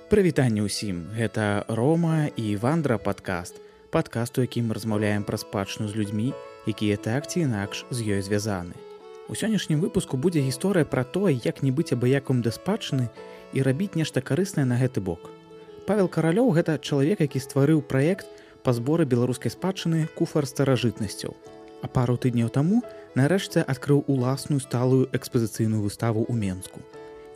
Прывітанне ўсім, гэта Рома і Вандра падкаст, у якім мы размаўляем пра спадчыну з людзьмі, якія так ці інакш з ёй звязаны. У сённяшнім выпуску будзе гісторыя пра тое, як не быць абыяком да спадчыны і рабіць нешта карыснае на гэты бок. Павел Каралёў – гэта чалавек, які стварыў праект па зборы беларускай спадчыны «Куфар старажытнасцяў». А пару тыдняў таму нарэшце адкрыў уласную сталую экспазіцыйную выставу ў Менску.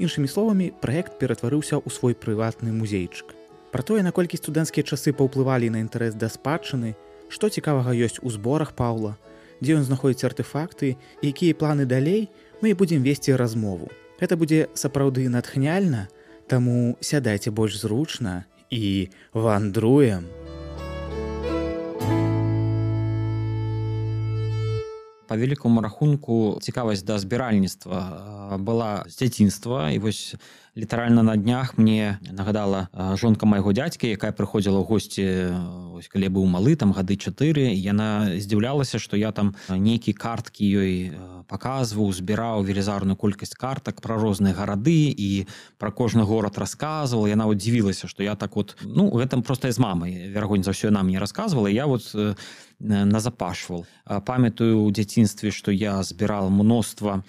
Іншымі словамі, праект ператварыўся ў свой прыватны музейчык. Пра тое, наколькі студэнцкія часы паўплывалі на інтарэс да спадчыны, што цікавага ёсць у зборах Паўла, дзе ён знаходзіць артэфакты і якія планы далей, мы і будзем весці размову. Гэта будзе сапраўды натхняльна, таму сядайце больш зручна і вандруем. Па вялікаму рахунку цікавасць да збіральніцтва была з дзяцінства, і вось літаральна на днях мне нагадала жонка майго дзядзькі, якая прыходзіла ў госці, калі я быў малы, там гады 4, і яна здзіўлялася, што я там нейкія карткі ёй паказваў, збіраў велізарную колькасць картак пра розныя гарады і пра кожны горад расказваў. Яна дзівілася, што я так гэтым проста з мамай, верагодна за ўсё яна мне расказвала, і я назапашваў. Памятаю ў дзяцінстве, што я збірал мноства,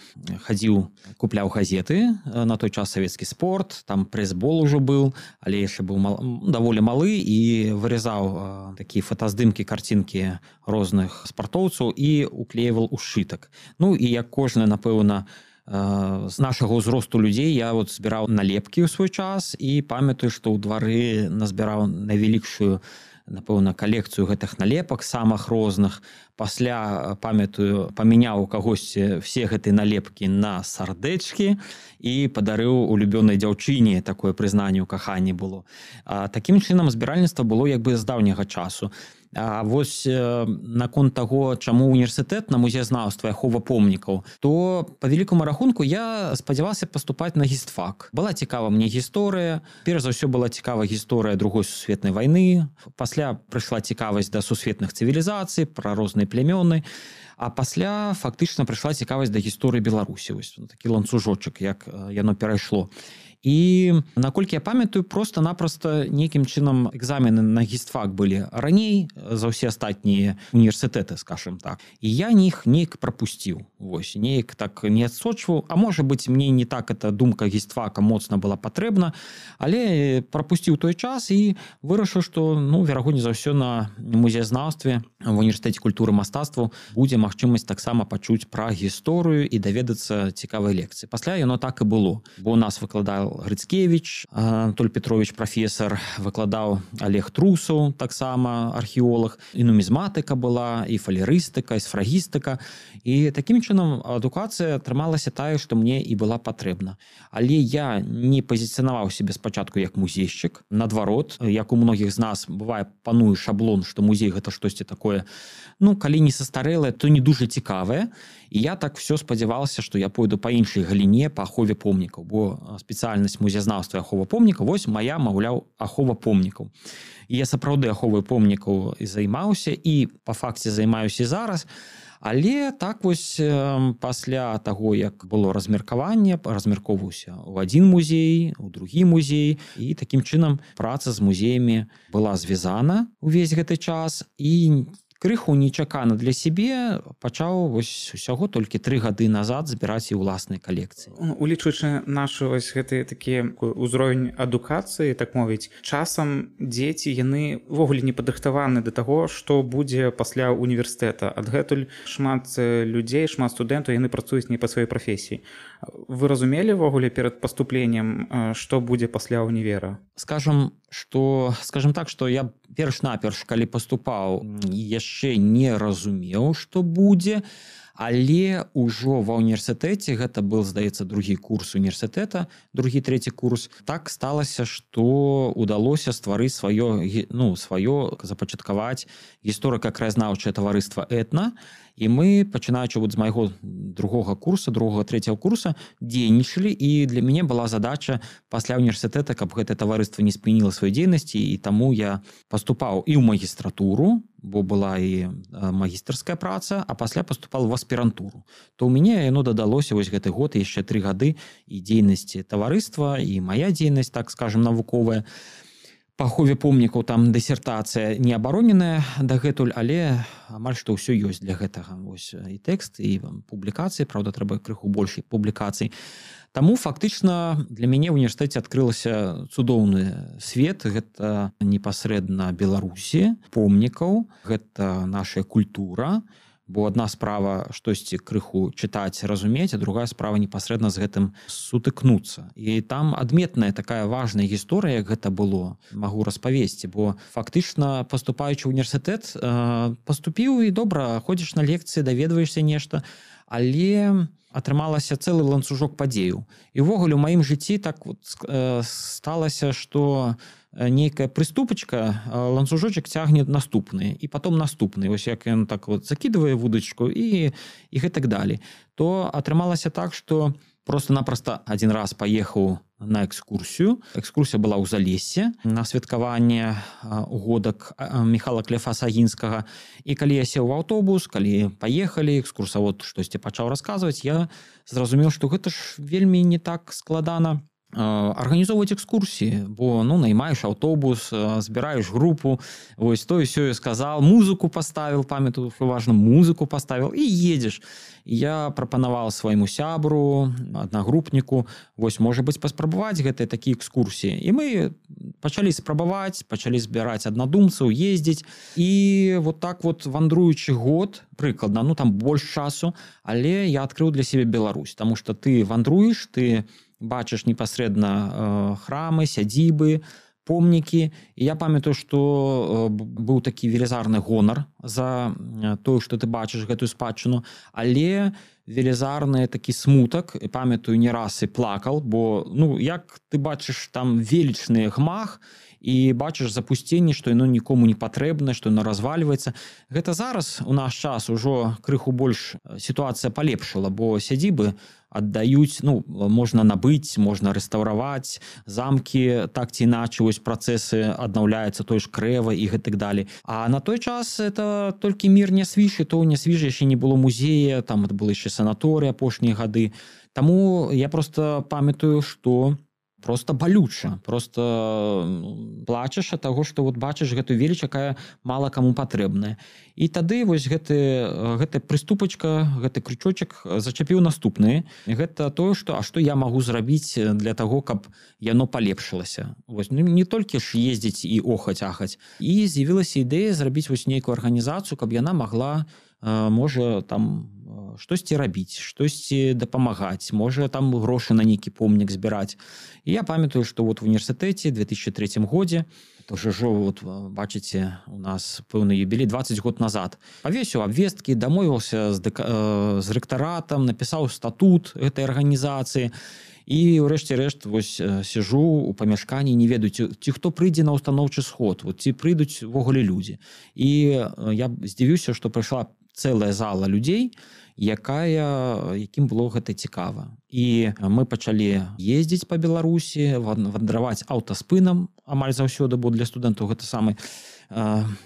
хадзіў, купляў газеты, на той час савецкі спорт, там прэсбол ужо быў, але яшчэ быў даволі малы, і вырезаў такія фотаздымкі, карцінкі розных спартоўцаў і уклеіваў у сшытак. І як кожны, напэўна, з нашага ўзросту людзей я збіраў налепкі ў свой час, і памятаю, што ў двары назбіраў найвялікшую, напэўна, калекцыю гэтых налепак, самых розных. Пасля, памятаю, памяняў у кагосьці все гэтыя налепкі на сардэчкі і падарыў улюбёнай дзяўчыне, такое прызнанне ў каханні было. Такім чынам збіральніцтва было як бы з даўняга часу. А вось наконт таго, чаму універсітэт на музеязнаўства і ахова помнікаў, то па вялікаму рахунку я спадзяваўся паступаць на гістфак. Была цікава мне гісторыя, перш за ўсё была цікава гісторыя Другой сусветнай вайны, пасля прыйшла цікавасць да сусветных цывілізацый, пра розныя плямёны, а пасля фактычна прыйшла цікавасць да гісторыі Беларусі. Вось такі ланцужочак, як яно перайшло. І, наколькі я памятаю, проста-напроста нейкім чынам экзамены на гістфак былі раней за ўсе астатнія універсітэты, скажем так. І я іх неяк прапусціў. Вось, неяк так не адсочваў. А можа быць, мне не так эта думка гістфака моцна была патрэбна, але прапусціў той час і вырашыў, што, верагодна за ўсё на музеязнаўстве в універсітэце культуры і мастацтваў будзе магчымасць таксама пачуць пра гісторыю і даведацца цікавай лекцыі. Пасля яно так і было, бо у нас выкладаў Грыцкевіч, Анатоль Петрович прафесар, выкладаў Олег Трусаў, таксама археолог, і нумізматыка была, і фалерыстыка, і сфрагістыка. І такім чынам адукацыя атрымалася тая, што мне і была патрэбна. Але я не пазіцыянаваў сябе спачатку як музейшчык. Наадварот, як у многіх з нас бывае, пануе шаблон, што музей гэта штосьці такое, калі не састарэлае, то не дужа цікавае. І я так все спадзяваўся, што я пойду па іншай галіне, па ахове помнікаў, бо спецыяльнасць музеязнаўства і ахова помнікаў, вось моя, маўляў, ахова помнікаў. І я сапраўды аховай помнікаў і займаўся, і па факце займаюся і зараз. Але так вось пасля таго, як было размеркаванне, размяркоўваўся ў адзін музей, у другі музей, і такім чынам праца з музеямі была звязана ўвесь гэты час, і крыху нечакана для сябе пачаў усяго толькі 3 гады назад збіраць і ўласныя калекцыі. Улічваючы нашы гэтыя такі ўзровень адукацыі, так мовіць, часам дзеці, яны ўвогуле не падрыхтаваны да таго, што будзе пасля універсітэта. Адгэтуль шмат людзей, шмат студэнтаў, яны працуюць не па сваёй прафесіі. Вы разумелі ўвогуле перад паступленнем, што будзе пасля універа? Скажам так, што я перш-наперш, калі паступаў, яшчэ не разумеў, што будзе, але ўжо ва універсітэце, гэта быў, здаецца, другі курс універсітэта, другі-трэці курс, так сталася, што удалося стварыць сваё, запачаткаваць гісторыка-краязнаўчае таварыства «Этна», і мы, пачынаючы з майго другога курса, другога-трэцяга курса, дзейнічалі, і для мяне была задача пасля універсітэта, каб гэтае таварыства не спыніла сваёй дзейнасці, і таму я паступаў і ў магістратуру, бо была і магістарская праца, а пасля паступал в аспірантуру. То ў мяне яно дадалося вось гэты год і яшчэ 3 гады і дзейнасці таварыства, і мая дзейнасць, так скажем, навуковая. Па ахове помнікаў там дысертацыя не абароненая дагэтуль, але амаль што ўсё ёсць для гэтага. Вось і тэкст, і публікацыі, праўда, трэба крыху больш публікацый. Таму фактычна для мяне ў універсітэце адкрылася цудоўны свет. Гэта непасрэдна Беларусі, помнікаў, гэта наша культура, бо адна справа штосьці крыху чытаць, разумець, а другая справа непасрэдна з гэтым сутыкнуцца. І там адметная такая важная гісторыя, як гэта было, магу распавесці, бо фактычна паступаючы ў універсітэт, паступіў і добра, ходзіш на лекцыі, даведваешся нешта, але атрымалася цэлы ланцужок падзеяў. І ўвогуле ў маім жыцці так вот сталася, што нейкая прыступачка, ланцужочак цягне наступны, і потом наступны. Вось як ён так вот закидывае вудачку і гэтак далей. То атрымалася так, што просто-напросто один раз паехаў на экскурсію. Экскурсія была ў Залессе на святкаванне годак Міхала Клефаса-Агінскага. І калі я сеў у аўтобус, калі паехалі, экскурсавод штосьці пачаў расказваць, я зразумеў, што гэта ж вельмі не так складана арганізоўваць экскурсіі, бо наймаеш аўтобус, збіраеш групу, вось тое сёе сказал, музыку паставіў, памятаю, што важна, музыку паставіў і едзеш. Я прапанаваў свайму сябру, аднагрупніку, вось, можа быць, паспрабаваць гэтыя такія экскурсіі. І мы пачалі спрабаваць, пачалі збіраць аднадумцаў, ездзіць. І вот так вот вандруючы год, прыкладна, там больш часу, але я адкрыў для сябе Беларусь, таму што ты вандруеш, ты бачыш непасрэдна храмы, сядзібы, помнікі. І я памятаю, што быў такі велізарны гонар за тое, што ты бачыш гэтую спадчыну, але велізарны такі смутак, і памятаю, не раз і плакал, бо як ты бачыш там велічны гмах, і бачыш запусценне, што яно нікому не патрэбна, што яно развальваецца. Гэта зараз у наш час ужо крыху больш сітуацыя палепшыла, бо сядзібы аддаюць, можна набыць, можна рэстаўраваць, замкі так ці іначай, вось працэсы аднаўляюцца, той ж крэва і гэтак далей. А на той час это толькі мір не свіжы, то не свіжы яшчэ не было музея, там было яшчэ санаторый апошнія гады. Таму я просто памятаю, што просто балюча, просто плачаш ад таго, што вот бачыш гэтую веліч, якая мала каму патрэбная. І тады вось гэта прыступачка, гэты крючочак зачапіў наступны. Гэта тое, што я магу зрабіць для таго, каб яно палепшылася. Вось, не толькі ж ездзіць і охаць-ахаць. І з'явілася ідэя зрабіць вось нейкую арганізацыю, каб яна магла, можа, там штосьці рабіць, штосьці дапамагаць, можа там грошы на нейкі помнік збіраць. І я памятаю, што вот в універсітэце 2003 годзе, то ўжо вот бачыце, у нас пэўны юбілей 20 год назад, павесіў абвесткі, дамовіўся з рэктаратам, напісаў статут гэтай арганізацыі. І ўрэшце рэшт вось сижу у памяшканні, не ведаю, ці хто прыйдзе на устаноўчы сход, вот, ці прыйдуць увогуле людзі. І я здзівіўся, што прыйшла цэлая зала людзей, якім было гэта цікава. І мы пачалі ездзіць па Беларусі, вандраваць аўтаспынам амаль заўсёды, бо для студэнтаў гэта самы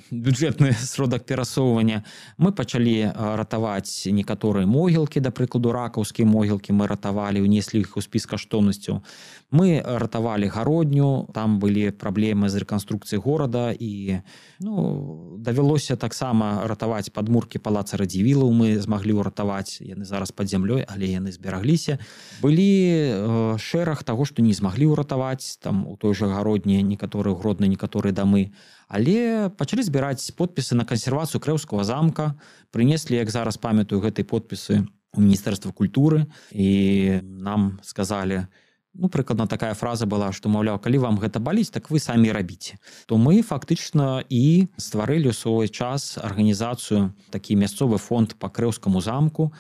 бюджэтны сродак перасоўвання. Мы пачалі ратаваць некаторыя могілкі, да прыкладу, ракаўскія могілкі мы ратавалі, унеслі іх у спіс каштоўнасцяў. Мы ратавалі гародню, там былі праблемы з рэканструкцыяй горада, і давялося таксама ратаваць падмуркі палаца Радзівілаў, мы змаглі ўратаваць, яны зараз пад зямлёй, але яны зберагліся. Былі шэраг таго, што не змаглі ўратаваць, там у той жа гародні некаторыя гродныя, некаторыя дамы. Але пачалі збіраць подпісы на кансервацыю Крэўскага замка, прынеслі, як зараз памятаю, гэтыя подпісы у Міністэрства культуры, і нам сказалі, прыкладна такая фраза была, што, маўляў, калі вам гэта баліць, так вы самі рабіце. То мы фактычна і стварылі ў свой час арганізацыю, такі мясцовы фонд па Крэўскаму замку,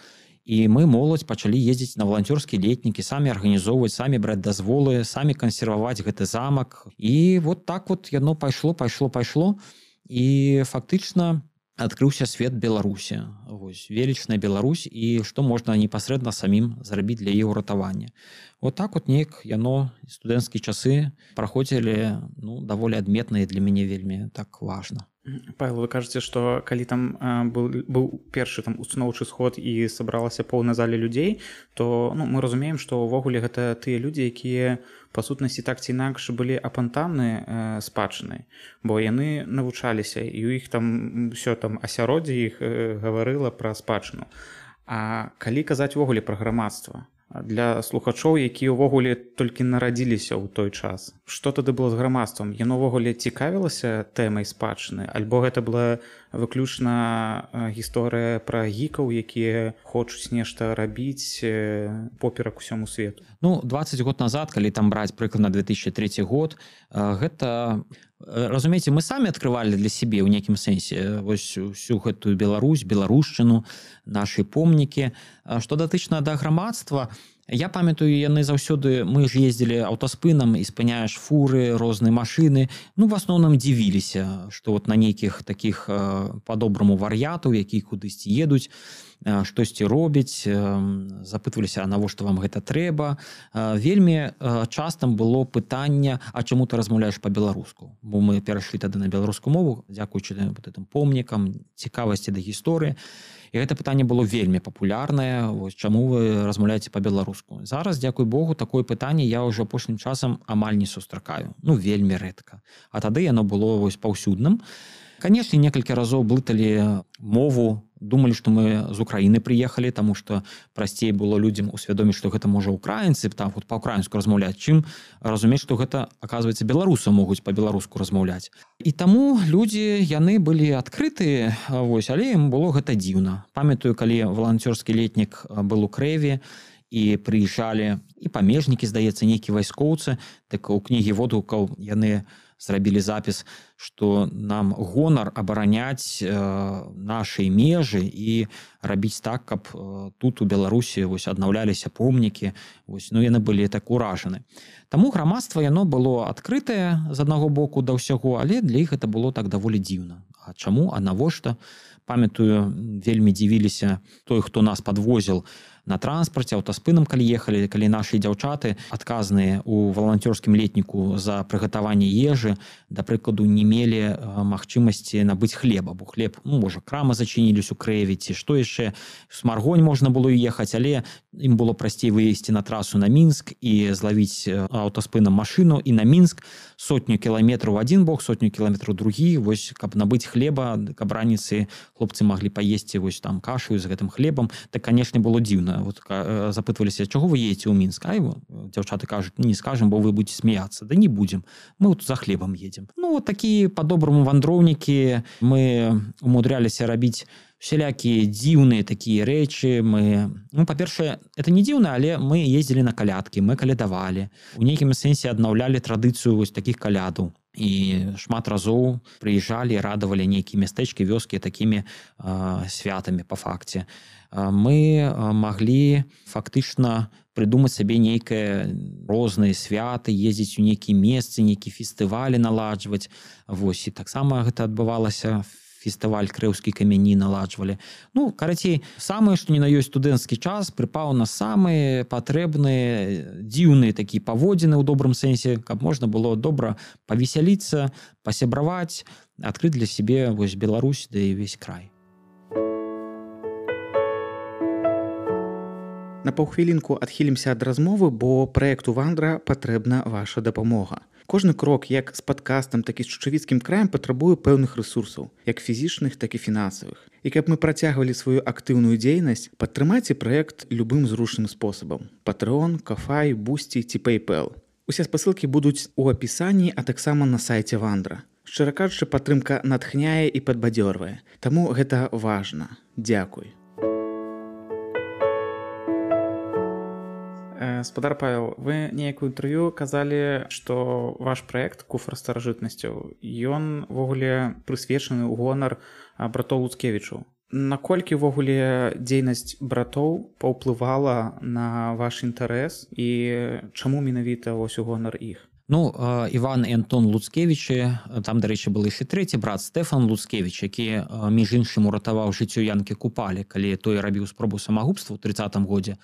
і мы, моладзь, пачалі ездзіць на валанцёрскія летнікі, самі арганізоўваць, самі браць дазволы, самі кансерваваць гэты замак. І вот так вот яно пайшло. І фактычна адкрыўся свет Беларусі. Вось, велічная Беларусь, і што можна непасрэдна самім зрабіць для яе ўратавання. Вот так вот неяк яно, студэнцкія часы праходзілі даволі адметна, і для мяне вельмі так важна. Павел, вы кажаце, што калі там быў першы там устаноўчы сход і сабралася поўна зале людзей, то мы разумеем, што ўвогуле гэта тыя людзі, якія па сутнасці так ці інакш былі апантаны спадчынай, бо яны навучаліся і ў іх там ўсё там асяроддзе іх гаварыла пра спадчыну. А калі казаць увогуле пра грамадства, для слухачоў, якія ўвогуле толькі нарадзіліся ў той час, што тады было з грамадствам? Яно ўвогуле цікавілася тэмай спадчыны, альбо гэта была выключна гісторыя пра гікаў, якія хочуць нешта рабіць поперак усяму свету? 20 год назад, калі там браць прыкладна 2003 год, гэта, разумееце, мы самі адкрывалі для сябе ў нейкім сэнсе вось усю гэтую Беларусь, беларушчыну, нашы помнікі. Што датычна да грамадства, я памятаю, яны заўсёды, мы ж ездзілі аўтаспынам і спыняеш фуры, розныя машыны, в асноўным дзівіліся, што вот на нейкіх такіх па-добраму вар'ятаў, якія кудысьці едуць, штосьці робяць, запытваліся, а навошта вам гэта трэба. Вельмі частым было пытанне, а чаму ты размаўляеш па-беларуску? Бо мы перайшлі тады на беларускую мову, дзякуючы гэтым помнікам, цікавасці да гісторыі. І гэта пытанне было вельмі папулярнае, чаму вы размаўляеце па-беларуску. Зараз, дзякуй Богу, такое пытанне я ўжо апошнім часам амаль не сустракаю. Вельмі рэдка. А тады яно было паўсюдным. Канешне, некалькі разоў блыталі мову, думалі, што мы з Украіны прыехалі, таму што прасцей было людзям усвядоміць, што гэта можа украінцы там па-ўкраінску размаўляць, чым разумець, што гэта, аказваецца, беларусы могуць па-беларуску размаўляць. І таму людзі, яны былі адкрытыя, але ім было гэта дзіўна. Памятаю, калі валанцёрскі летнік был у Крэве, і прыязджалі і памежнікі, здаецца, нейкія вайскоўцы, так у кнігі водгукаў яны зрабілі запіс, што нам гонар абараняць нашы межы і рабіць так, каб тут у Беларусі аднаўляліся помнікі. Яны былі так уражаны. Таму грамадства яно было адкрытае з аднаго боку да ўсяго, але для іх гэта было так даволі дзіўна. А чаму? А навошта? Памятаю, вельмі дзівіліся той, хто нас падвозіл на транспарце, аўтаспынам, калі ехалі, калі нашы дзяўчаты адказныя ў валанцёрскім летніку за прыгатаванне ежы, да прыкладу, не мелі магчымасці набыць хлеба, бо хлеб, можа, крамы зачыніліся у Крэве, ці што яшчэ, Смаргонь можна было ехаць, але ім было прасцей выйсці на трасу на Мінск і злавіць аўтаспынам машыну і на Мінск 100 кіламетраў в адзін бок, 100 кіламетраў другі, каб набыць хлеба, каб раніцы хлопцы маглі паесці там кашу з гэтым хлебам. Так, канешне, было дзіўна. Запытваліся, чаго вы едзеце ў Мінск? Дзяўчаты кажуць, не скажам, бо вы будзеце смяяцца. Да не будзем, мы за хлебам едзем. Такія па-добраму вандроўнікі, мы умудряліся рабіць всялякія дзіўныя такія рэчы. Мы, па-першае, это не дзіўна, але мы ездзілі на калядкі, мы калядавалі. У нейкім сэнсе аднаўлялі традыцыю такіх калядаў. І шмат разоў прыязджалі, радавалі нейкія мястэчкі, вёскі такімі святамі па факце. Мы маглі фактычна прыдумаць сабе нейкае розныя святы, ездзіць у нейкія месцы, нейкія фестывалі наладжваць. І таксама гэта адбывалася. Фестываль крэўскія камяні наладжвалі. Карацей, самае, што не на ёсць студэнцкі час, прыпаў на самыя патрэбныя, дзіўныя такія паводзіны ў добрым сэнсе, каб можна было добра павесяліцца, пасябраваць, адкрыць для сябе Беларусь да і ўвесь край. На паўхвілінку адхілімся ад размовы, бо праекту «Вандра» патрэбна ваша дапамога. Кожны крок, як з падкастам, так і з чучавіцкім краем, патрабуе пэўных рэсурсаў, як фізічных, так і фінансавых. І каб мы працягвалі сваю актыўную дзейнасць, падтрымайце праект любым зручным спосабам. Patreon, Ko-fi, Boosty ці PayPal. Усе спасылкі будуць у апісанні, а таксама на сайце «Вандра». Шчыра кажучы, падтрымка натхняе і падбадзёрвае. Таму гэта важна. Дзякуй. Спадар Павел, вы нейкую інтэрв'ю казалі, што ваш праект «Куфар старажытнасцяў», ён ввогуле прысвечаны ў гонар братоў Луцкевічаў. Наколькі ввогуле дзейнасць братоў паўплывала на ваш інтарэс і чаму менавіта у гонар іх? Іван і Антон Луцкевічы, там, дарэчы, был яшчэ трэці брат Стэфан Луцкевіч, які, між іншым, уратаваў жыццё Янкі Купалі, калі той рабіў спробу самагубства ў 30-м годзе,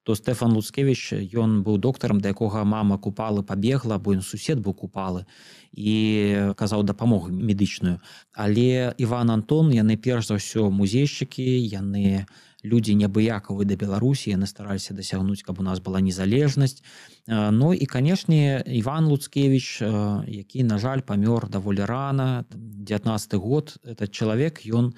то Стэфан Луцкевіч, ён быў доктарам, да якога мама купалы пабегла, бо ён сусед быў купалы і казаў дапамогу медычную. Але Іван, Антон, яны перш за ўсё музейшчыкі, яны людзі неабыякавыя да Беларусі, яны стараліся дасягнуць, каб у нас была незалежнасць. Ну і, канешне, Іван Луцкевіч, які, на жаль, памёр даволі рана, 19 год, этот чалавек, ён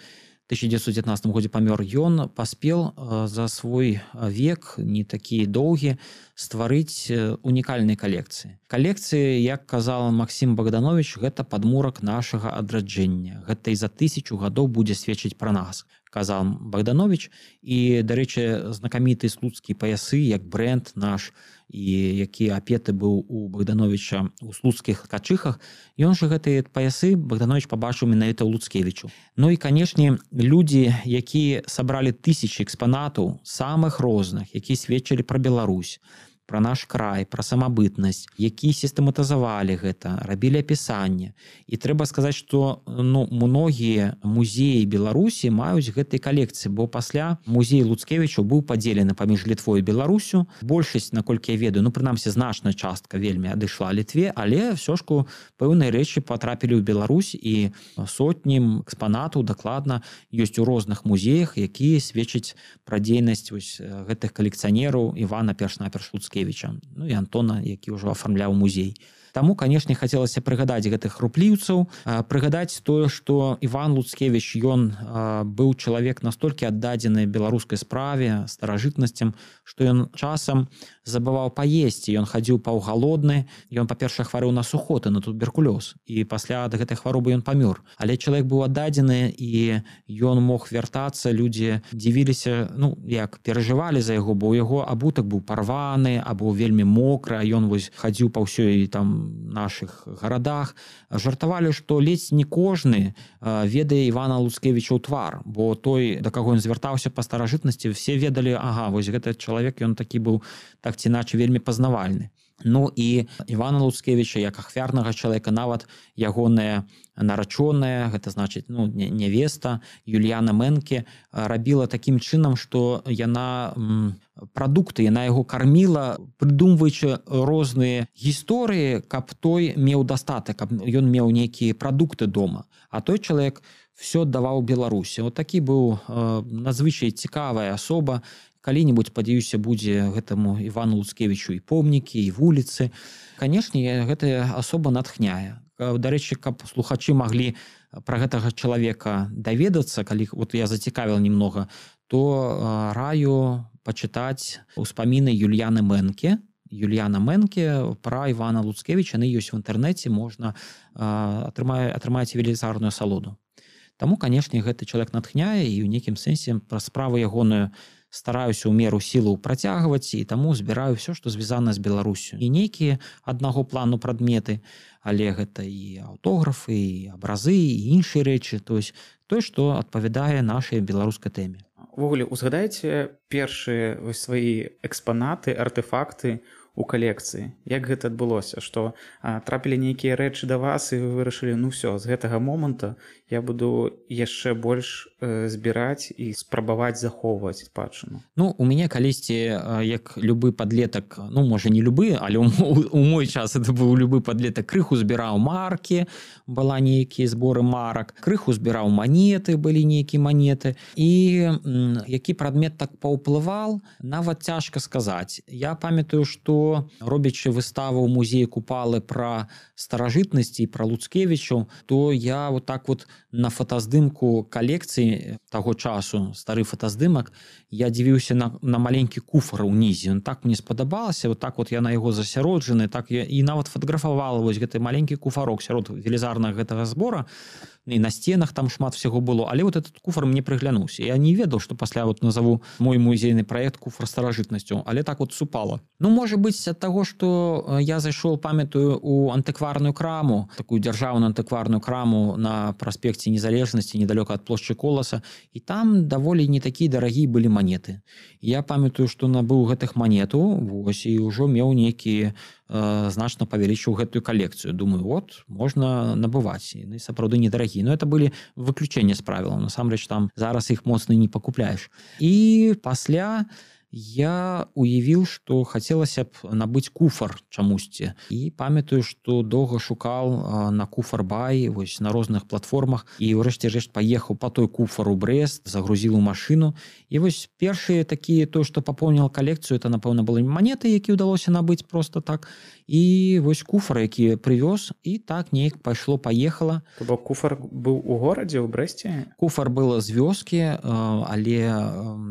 1919 годзе памёр, ён паспеў за свой век, не такі доўгі, стварыць унікальныя калекцыі. Калекцыі, як казал Максім Богданович, гэта падмурак нашага адраджэння. Гэта і за 1000 гадоў будзе сведчыць пра нас, казал Богданович. І, дарэчы, знакаміты слуцкія паясы, як бренд наш, і які апеты быў у Богдановича у слуцкіх качыхах, ён жа гэтыя паясы Богданович пабачыў менавіта ў Луцкевічу. Ну і, канешне, людзі, якія сабралі тысячы экспанатаў самых розных, якія сведчылі пра Беларусь, пра наш край, пра самабытнасць, якія сістэматызавалі гэта, рабілі апісанне. І трэба сказаць, што многія музеі Беларусі маюць гэтай калекцыі, бо пасля музей Луцкевічу быў падзелены паміж Літвой і Беларусю. Большасць, наколькі я ведаю, прынамсі значная частка вельмі адышла Літве, але ўсё ж пэўныя рэчы патрапілі ў Беларусь, і сотні экспанатаў дакладна ёсць у розных музеях, якія сведчаць пра дзейнасць гэтых калекцыянераў Івана перш-наперш Луцкевіча, ну і Антона, які ўжо афармляў музей. Таму, канешне, хацелася прыгадаць гэтых рупліўцаў, прыгадаць тое, што Іван Луцкевіч, ён быў чалавек настолькі аддадзены беларускай справе, старажытнасцям, што ён часам забываў паесці, ён хадзіў паўгалодны, ён, па-першае, хварэў на сухоты, на туберкулёз, і пасля ад гэтай хваробы ён памёр. Але чалавек быў аддадзены, і ён мог вяртацца, людзі дзівіліся, як перажывалі за яго, бо яго абутак быў парваны, або вельмі мокры, а ён хадзіў па ўсёй там наших гарадах, жартавалі, што ледзь не кожны ведае Івана Луцкевіча ў твар, бо той, да каго ён звяртаўся па старажытнасці, все ведалі, вось гэты чалавек, ён такі быў так ці іначай вельмі пазнавальны. Ну і Івана Луцкевіча, як ахвярнага чалавека, нават ягоная нарачоная, гэта значыць, нявеста, Юліяна Мэнке, рабіла такім чынам, што яна прадукты, яна яго карміла, прыдумваючы розныя гісторыі, каб той меў дастатак, каб ён меў нейкія прадукты дома. А той чалавек все аддаваў Беларусі. Вот такі быў надзвычай цікавая асоба. Калі-небудзь, спадзяюся, будзе гэтаму Івану Луцкевічу і помнікі, і вуліцы. Канешне, гэтая асоба натхняе. Дарэчы, каб слухачы маглі пра гэтага чалавека даведацца, калі я зацікавіла немного, то раю пачытаць успаміны Юліяны Мэнке. Юліяна Мэнке пра Івана Луцкевіча, яны ёсць в інтэрнэце, можна атрымаць велізарную асалоду. Таму, канешне, гэты чалавек натхняе, і ў нейкім сэнсе пра справу ягоную стараюся ў меру сілаў працягваць, і таму збіраю ўсё, што звязана з Беларусю. Не нейкія аднаго плану прадметы, але гэта і аўтографы, і абразы, і іншыя рэчы, тое, што адпавядае нашай беларускай тэме. Увогуле, узгадайце першыя свае экспанаты, артефакты у калекцыі. Як гэта адбылося? Што трапілі нейкія рэчы да вас, і вы вырашылі, з гэтага моманту я буду яшчэ больш збіраць і спрабаваць захоўваць спадчыну. У мяне калісьці, як любы падлетак, можа не любы, але у мой час это быў любы падлетак, крыху збіраў маркі, была нейкія зборы марак, крыху збіраў манеты, былі нейкія манеты, і які прадмет так паўплываў, нават цяжка сказаць. Я памятаю, што робячы выставу ў музеі Купалы пра старажытнасці і пра Луцкевічу, то я на фотаздымку калекцыі таго часу, стары фотаздымак, я дзівіўся на маленькі куфар унізе. Он так мне спадабалася, я на яго засяроджаны, і нават фатаграфавала гэты маленькі куфарок сярод велізарнага гэтага збора, і на сценах там шмат всего было, але этот куфар мне прыглянуўся. Я не ведаў, што пасля назову мой музейны праект куфар старажытнасцю, але так супала. Можа быць, ад таго, што я зайшоў, памятаю, у антыкварную краму, такую дзяржаўную антыкварную краму на праспекце Незалежнасці, недалёка ад плошчы Коласа, і там даволі не такія дарагія былі манеты. Я памятаю, што набыў гэтых манетаў, і ўжо меў нейкія значна павялічыў гэтую калекцыю. Думаю, можна набываць. Яны сапраўды недарагія. Но это былі выключэнні з правілаў. Насамрэч, там зараз іх моцна не пакупляеш. І пасля Я уявіў, што хацелася б набыць куфар чамусьці. І памятаю, што доўга шукаў на куфар.бай, вось на розных платформах, і ўрэшце рэшт паехаў па той куфар у Брэст, загрузіў у машыну. І вось першыя такія, то, што папоўніла калекцыю, это, напэўна, былі манеты, які ўдалося набыць проста так. І вось куфар, які прывёз, і так неяк пайшло-паехала. То бок куфар быў у горадзе, у Брэсце? Куфар был з вёскі, але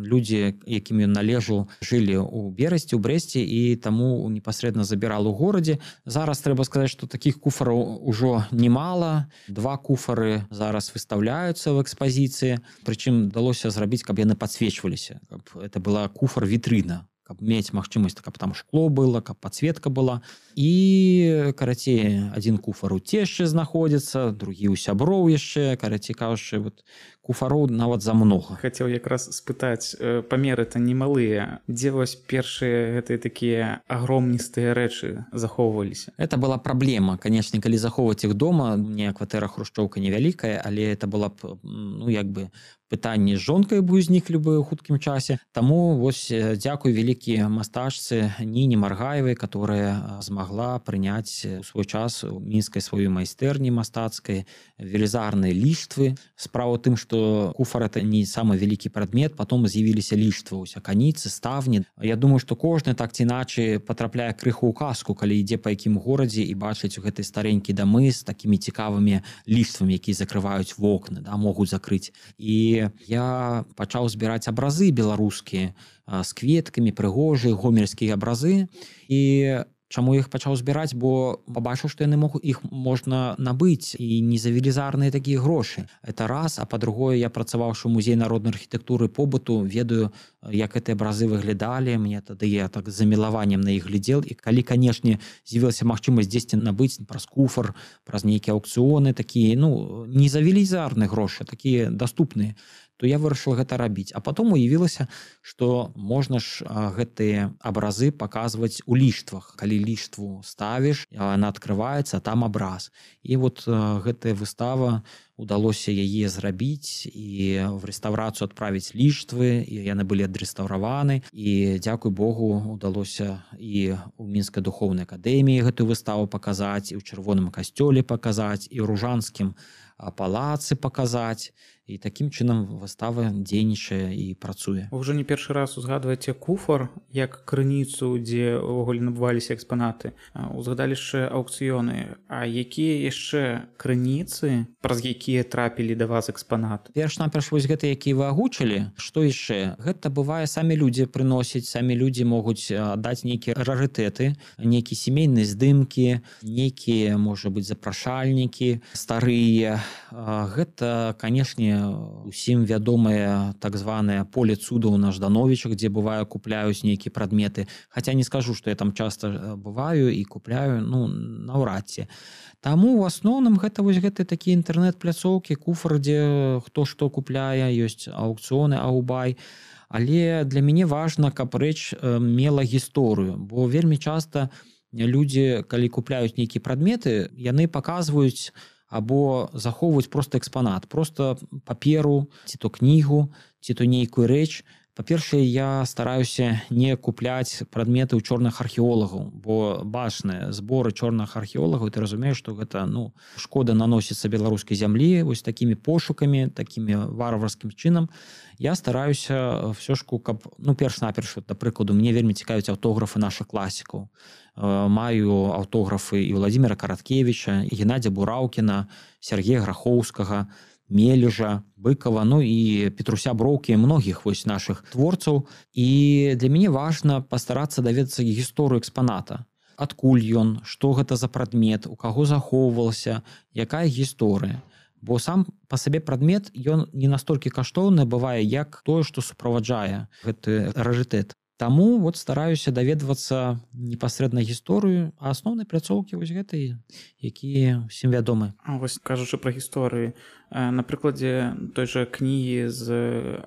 людзі, якім ён належаў, жылі ў Берасці, у Брэсце, і таму непасрэдна забірал у горадзе. Зараз трэба сказаць, што такіх куфараў ужо немала. 2 куфары зараз выстаўляюцца ў экспазіцыі. Прычым далося зрабіць, каб яны падсвечваліся, каб это была куфар-вітрына, каб мець магчымасць, каб там шкло было, каб падсветка была. І, карацей, адзін куфар у цешчы знаходзіцца, другі ў сяброў яшчэ, карацей кажучы, вот куфароў нават за многа. Хацеў якраз спытаць, памеры-то немалыя. Дзе вось першыя гэтыя такія агромністыя рэчы захоўваліся? Это была праблема. Канешне, калі захоўваць іх дома, мне кватэра хрушчоўка невялікая, але это была б, ну, як бы, пытанне з жонкай бы узніклі бы ў хуткім часе. Таму вось дзякуй вялікі мастачцы Ніні Маргаевай, которая змагла прыняць у свой час у мінскай сваёй майстэрні мастацкай велізарныя ліштвы. Справа ў тым, што куфар это не самы вялікі прадмет, потом з'явіліся ліштвы, ось аканіцы, ставні. Я думаю, што кожны так ці іначай потрапляе крыху ў казку, калі ідзе па якім горадзе і бачыць у гэтай старенькія дамы з такімі цікавымі ліштвамі, якія закрываюць вокны, да, могуць закрыць. І я пачаў збіраць абразы беларускія з кветкамі, прыгожыя, гомельскія абразы. І чаму іх пачаў збіраць? Бо пабачыў, што яны іх можна набыць і не за велізарныя такія грошы. Это раз, а па-другое, я працаваўшы ў музеі народнай архітэктуры і побыту, ведаю, як гэтыя абразы выглядалі. Мне тады я так з замілаваннем на іх глядзеў. І калі, канешне, з'явілася магчымасць дзесьці набыць праз куфар, праз нейкія аўкцыёны, такія, ну, не за велізарныя грошы, такія даступныя, то я вырашыў гэта рабіць. А потом уявілася, што можна ж гэтыя абразы паказваць у ліштвах. Калі ліштву ставіш, яна адкрываецца, там абраз. І вот гэтая выстава, удалося яе зрабіць і в рэстаўрацыю адправіць ліштвы, і яны былі адрэстаўраваны. І, дзякуй Богу, удалося і ў Мінскай духоўнай акадэміі гэтую выставу паказаць, і ў Чырвоным касцёле паказаць, і ў Ружанскім палацы паказаць. І такім чынам выстава дзейнічае і працуе. Вы ўжо не першы раз узгадваеце куфар як крыніцу, дзе ўвогуле набываліся экспанаты. Узгадалі яшчэ аўкцыёны. А якія яшчэ крыніцы, праз якія трапілі да вас экспанаты? Перш-наперш вось гэта, якія вы агучылі. Што яшчэ? Гэта бывае, самі людзі прыносяць, самі людзі могуць даць нейкія рарытэты, нейкія сямейныя здымкі, нейкія, можа быць, запрашальнікі старыя. Гэта, канешне, усім вядомае так званае поле цудаў на Ждановічах, дзе бывае купляюць нейкія прадметы. Хаця не скажу, што я там часта бываю і купляю, ну, наўрад ці. Таму ў асноўным гэта вось гэты такія інтэрнэт-пляцоўкі, куфар, дзе хто што купляе, ёсць аўкцыёны, аўбай. Але для мяне важна, каб рэч мела гісторыю, бо вельмі часта людзі, калі купляюць нейкія прадметы, яны паказваюць або захоўваюць проста экспанат, проста паперу, ці то кнігу, ці то нейкую рэч. Па-першае, я стараюся не купляць прадметы ў чорных археолагаў, бо бачныя зборы чорных археолагаў, ты разумееш, што гэта, ну, шкода наносіцца беларускай зямлі вось такімі пошукамі, такімі варварскім чынам. Я стараюся ўсё ж, каб, ну, перш-наперш, да прыкладу, мне вельмі цікавяць аўтографы нашых класікаў. Маю аўтографы і Владзіміра Караткевіча, і Геннадзя Бураўкіна, Сергея Грахоўскага, Мележа, Быкова, ну і Петруся Броўкі, многіх вось нашых творцаў. І для мяне важна пастарацца даведацца гісторыю экспаната. Адкуль ён, што гэта за прадмет, у каго захоўвалася, якая гісторыя. Бо сам па сабе прадмет, ён не настолькі каштоўны бывае, як тое, што суправаджае гэты рарытэт. Таму вот стараюся даведвацца непасрэдна гісторыю, а асноўнай пляцоўкі вось гэтай, якія ўсім вядомы. Вось кажучы пра гісторыю, на прыкладзе той жа кнігі з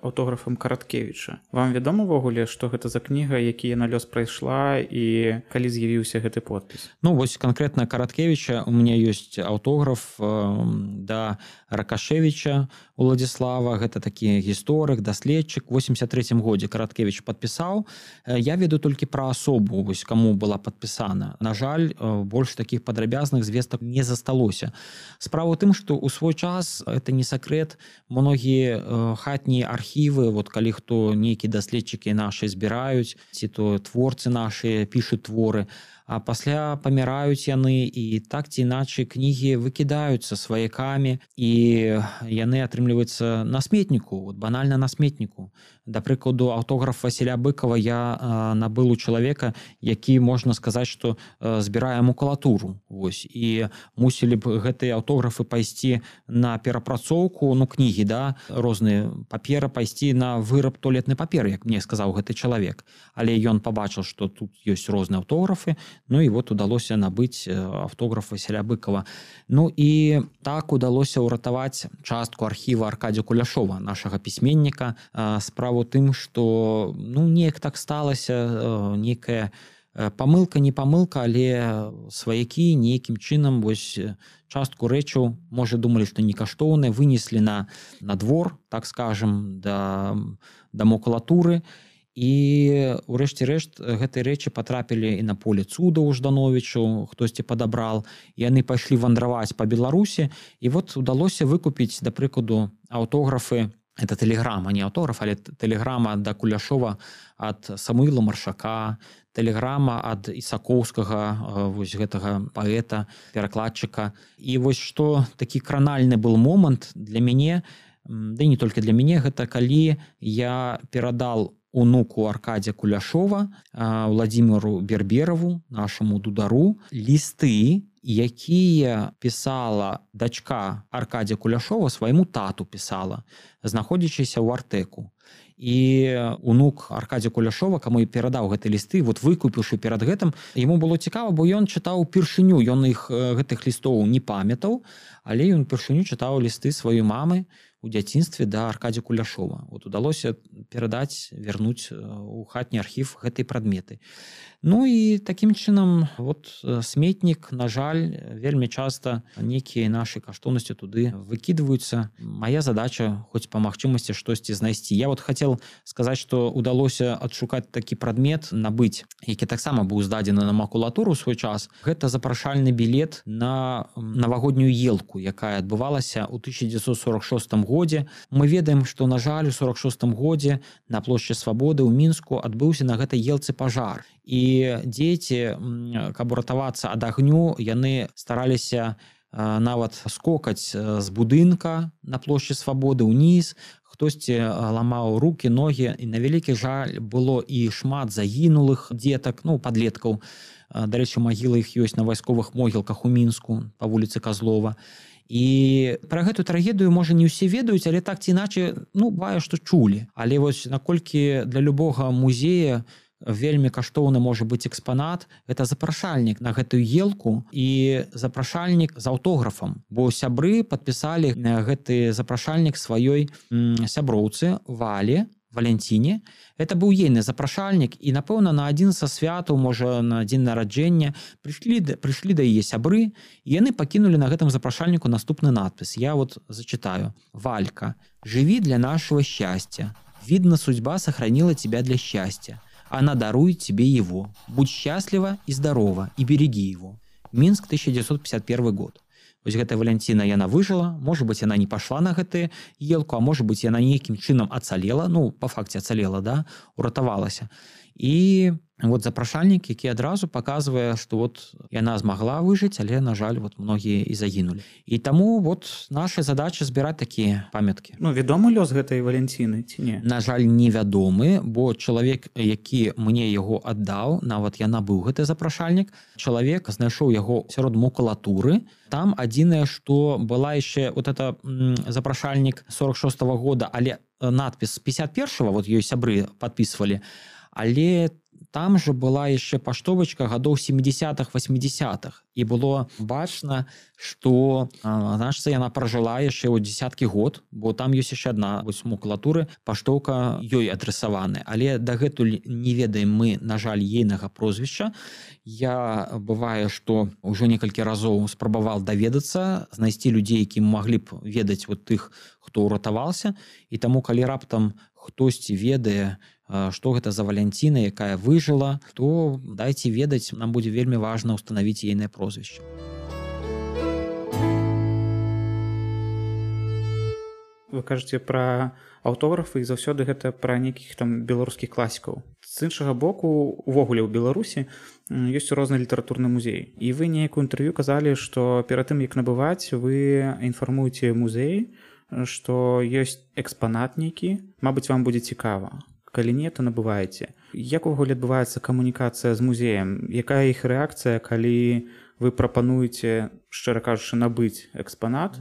аўтографам Караткевіча. Вам вядома ўвогуле, што гэта за кніга, які яна лёс прайшла і калі з'явіўся гэты подпіс? Ну вось канкрэтна Караткевіча у мяне ёсць аўтограф да Ракашевіча Уладзіслава, гэта такі гісторык, даследчык. У 83 годзе Караткевіч падпісаў, Я ведаю толькі пра асобу, вось каму была падпісана. На жаль, больш такіх падрабязных звестак не засталося. Справа ў тым, што ў свой час, это не сакрэт, многія хатнія архівы, вот калі хто нейкі даследчыкі нашы збіраюць, ці то творцы нашы пішуць творы, а пасля паміраюць яны, і так ці іначай кнігі выкідаюцца сваякамі, і яны атрымліваюцца на сметніку, вот банальна на сметніку. Да прыкладу, аўтограф Васіля Быкова я набыл у чалавека, які, можна сказаць, што збірае макулатуру. Вось. І мусілі б гэтыя аўтографы пайсці на перапрацоўку, кнігі, да, розныя паперы, пайсці на выраб туалетнай паперы, як мне сказаў гэты чалавек. Але ён пабачыў, што тут ёсць розныя аўтографы, і вот удалося набыць аўтограф Васіля Быкова. І так удалося ўратаваць частку архіва Аркадзія Куляшова, нашага пісьменніка. Справа ў тым, што неяк так сталася, нейкая памылка, не памылка, але сваякі нейкім чынам вось частку рэчаў, можа, думалі, што некаштоўныя, вынеслі на двор, так скажем, да макулатуры. І ўрэшце рэшт гэтыя рэчы патрапілі і на поле цудаў у Ждановічу, хтосьці падабрал, і яны пайшлі вандраваць па Беларусі, і вот удалося выкупіць, да прыкладу, аўтографы, это тэлеграма, не аўтограф, але тэлеграма да Куляшова ад Самуіла Маршака, тэлеграма ад Ісакоўскага, вось гэтага паэта, перакладчыка. І вось што такі кранальны был момант для мяне, да і не толькі для мяне, гэта калі я перадал унуку Аркадзія Куляшова, Владзіміру Бербераву, нашаму дудару, лісты, якія пісала дачка Аркадзія Куляшова свайму тату пісала, знаходзячыся ў Артэку. І унук Аркадзія Куляшова, каму і перадаў гэты лісты, вот выкупіўшы перад гэтым, яму было цікава, бо ён чытаў упершыню, ён гэтых лістоў не памятаў, але ён упершыню чытаў лісты сваёй мамы у дзяцінстве да Аркадзія Куляшова. Вот удалося перадаць, вярнуць у хатні архів гэтай прадметы. І такім чынам вот сметнік, на жаль, вельмі часта нейкія нашы каштоўнасці туды выкідваюцца. Мая задача хоць па магчымасці штосьці знайсці. Я вот хацеў сказаць, што удалося адшукаць такі прадмет, набыць, які таксама быў здадзены на макулатуру ў свой час. Гэта запрашальны білет на навагоднюю елку, якая адбывалася ў 1946 годзе. Мы ведаем, што, на жаль, у 1946 годзе на плошчы Свабоды ў Мінску адбыўся на гэтай елцы пажар. І дзеці, каб уратавацца ад агню, яны стараліся нават скокаць з будынка на плошчы Свабоды ўніз, хтосьці ламаў рукі, ногі, і на вялікі жаль было і шмат загінулых дзетак, падлеткаў. Дарэчы, магілы іх ёсць на вайсковых могілках у Мінску па вуліцы Казлова. І пра гэту трагедыю, можа, не ўсе ведаюць, але так ці іначай, бывае, што чулі. Але вось наколькі для любога музея вельмі каштоўны можа быць экспанат, гэта запрашальнік на гэтую елку і запрашальнік з аўтографам, бо сябры падпісалі гэты запрашальнік сваёй сяброўцы Валі, Валянціне. Это быў ейны запрашальнік, і, напэўна, на адзін са святаў, можа, на дзень нараджэння прыйшлі да яе сябры, і яны пакінулі на гэтым запрашальніку наступны надпіс. Я вот зачитаю. «Валька, живи для нашего счастья. Видно, судьба сохранила тебя для счастья. Она дарует тебе его. Будь счастлива и здорова, и береги его». Минск, 1951 год. Вось гэтая Валянціна, яна выжыла, можа быць, яна не пашла на гэтую елку, а можа быць, яна нейкім чынам ацалела, па факце ацалела, да, уратавалася. І вот запрашальнік, які адразу паказвае, што вот яна змагла выжыць, але, на жаль, вот многія і загінулі. І таму вот наша задача збіраць такія памяткі. Вядомы лёс гэтай Валянціны ці не? На жаль, невядомы, бо чалавек, які мне яго аддаў, нават я набыў гэты запрашальнік, чалавек знайшоў яго сярод макулатуры. Там адзінае, што была яшчэ вот это запрашальнік 46-го года, але надпіс 51-го, вот ёй сябры падпісвалі, але там же была яшчэ паштовачка гадоў 70-х, 80-х. І было бачна, што, значыцца, яна пражыла яшчэ ў дзесяткі год, бо там ёсць яшчэ адна макулатуры, паштоўка ёй адрасаваны. Але дагэтуль не ведаем мы, на жаль, ейнага прозвішча. Я бывае, што ўжо некалькі разоў спрабаваў даведацца, знайсці людзей, які маглі б ведаць вот тых, хто ўратаваўся. І таму, калі раптам хтосьці ведае што гэта за валянціна, якая выжыла, то дайце ведаць, нам будзе вельмі важна ўстанавіць ейнае прозвішча. Вы кажаце пра аўтографы, і заўсёды гэта пра нейкіх там беларускіх класікаў. З іншага боку, увогуле ў Беларусі ёсць розны літаратурны музей. І вы нейкую інтэрв'ю казалі, што перад тым, як набываць, вы інфармуеце музей, што ёсць экспанат нейкі, мабыць, вам будзе цікава. Калі не, то набываеце. Як увогуле адбываецца камунікацыя з музеем? Якая іх рэакцыя, калі вы прапануеце, шчыра кажучы, набыць экспанат?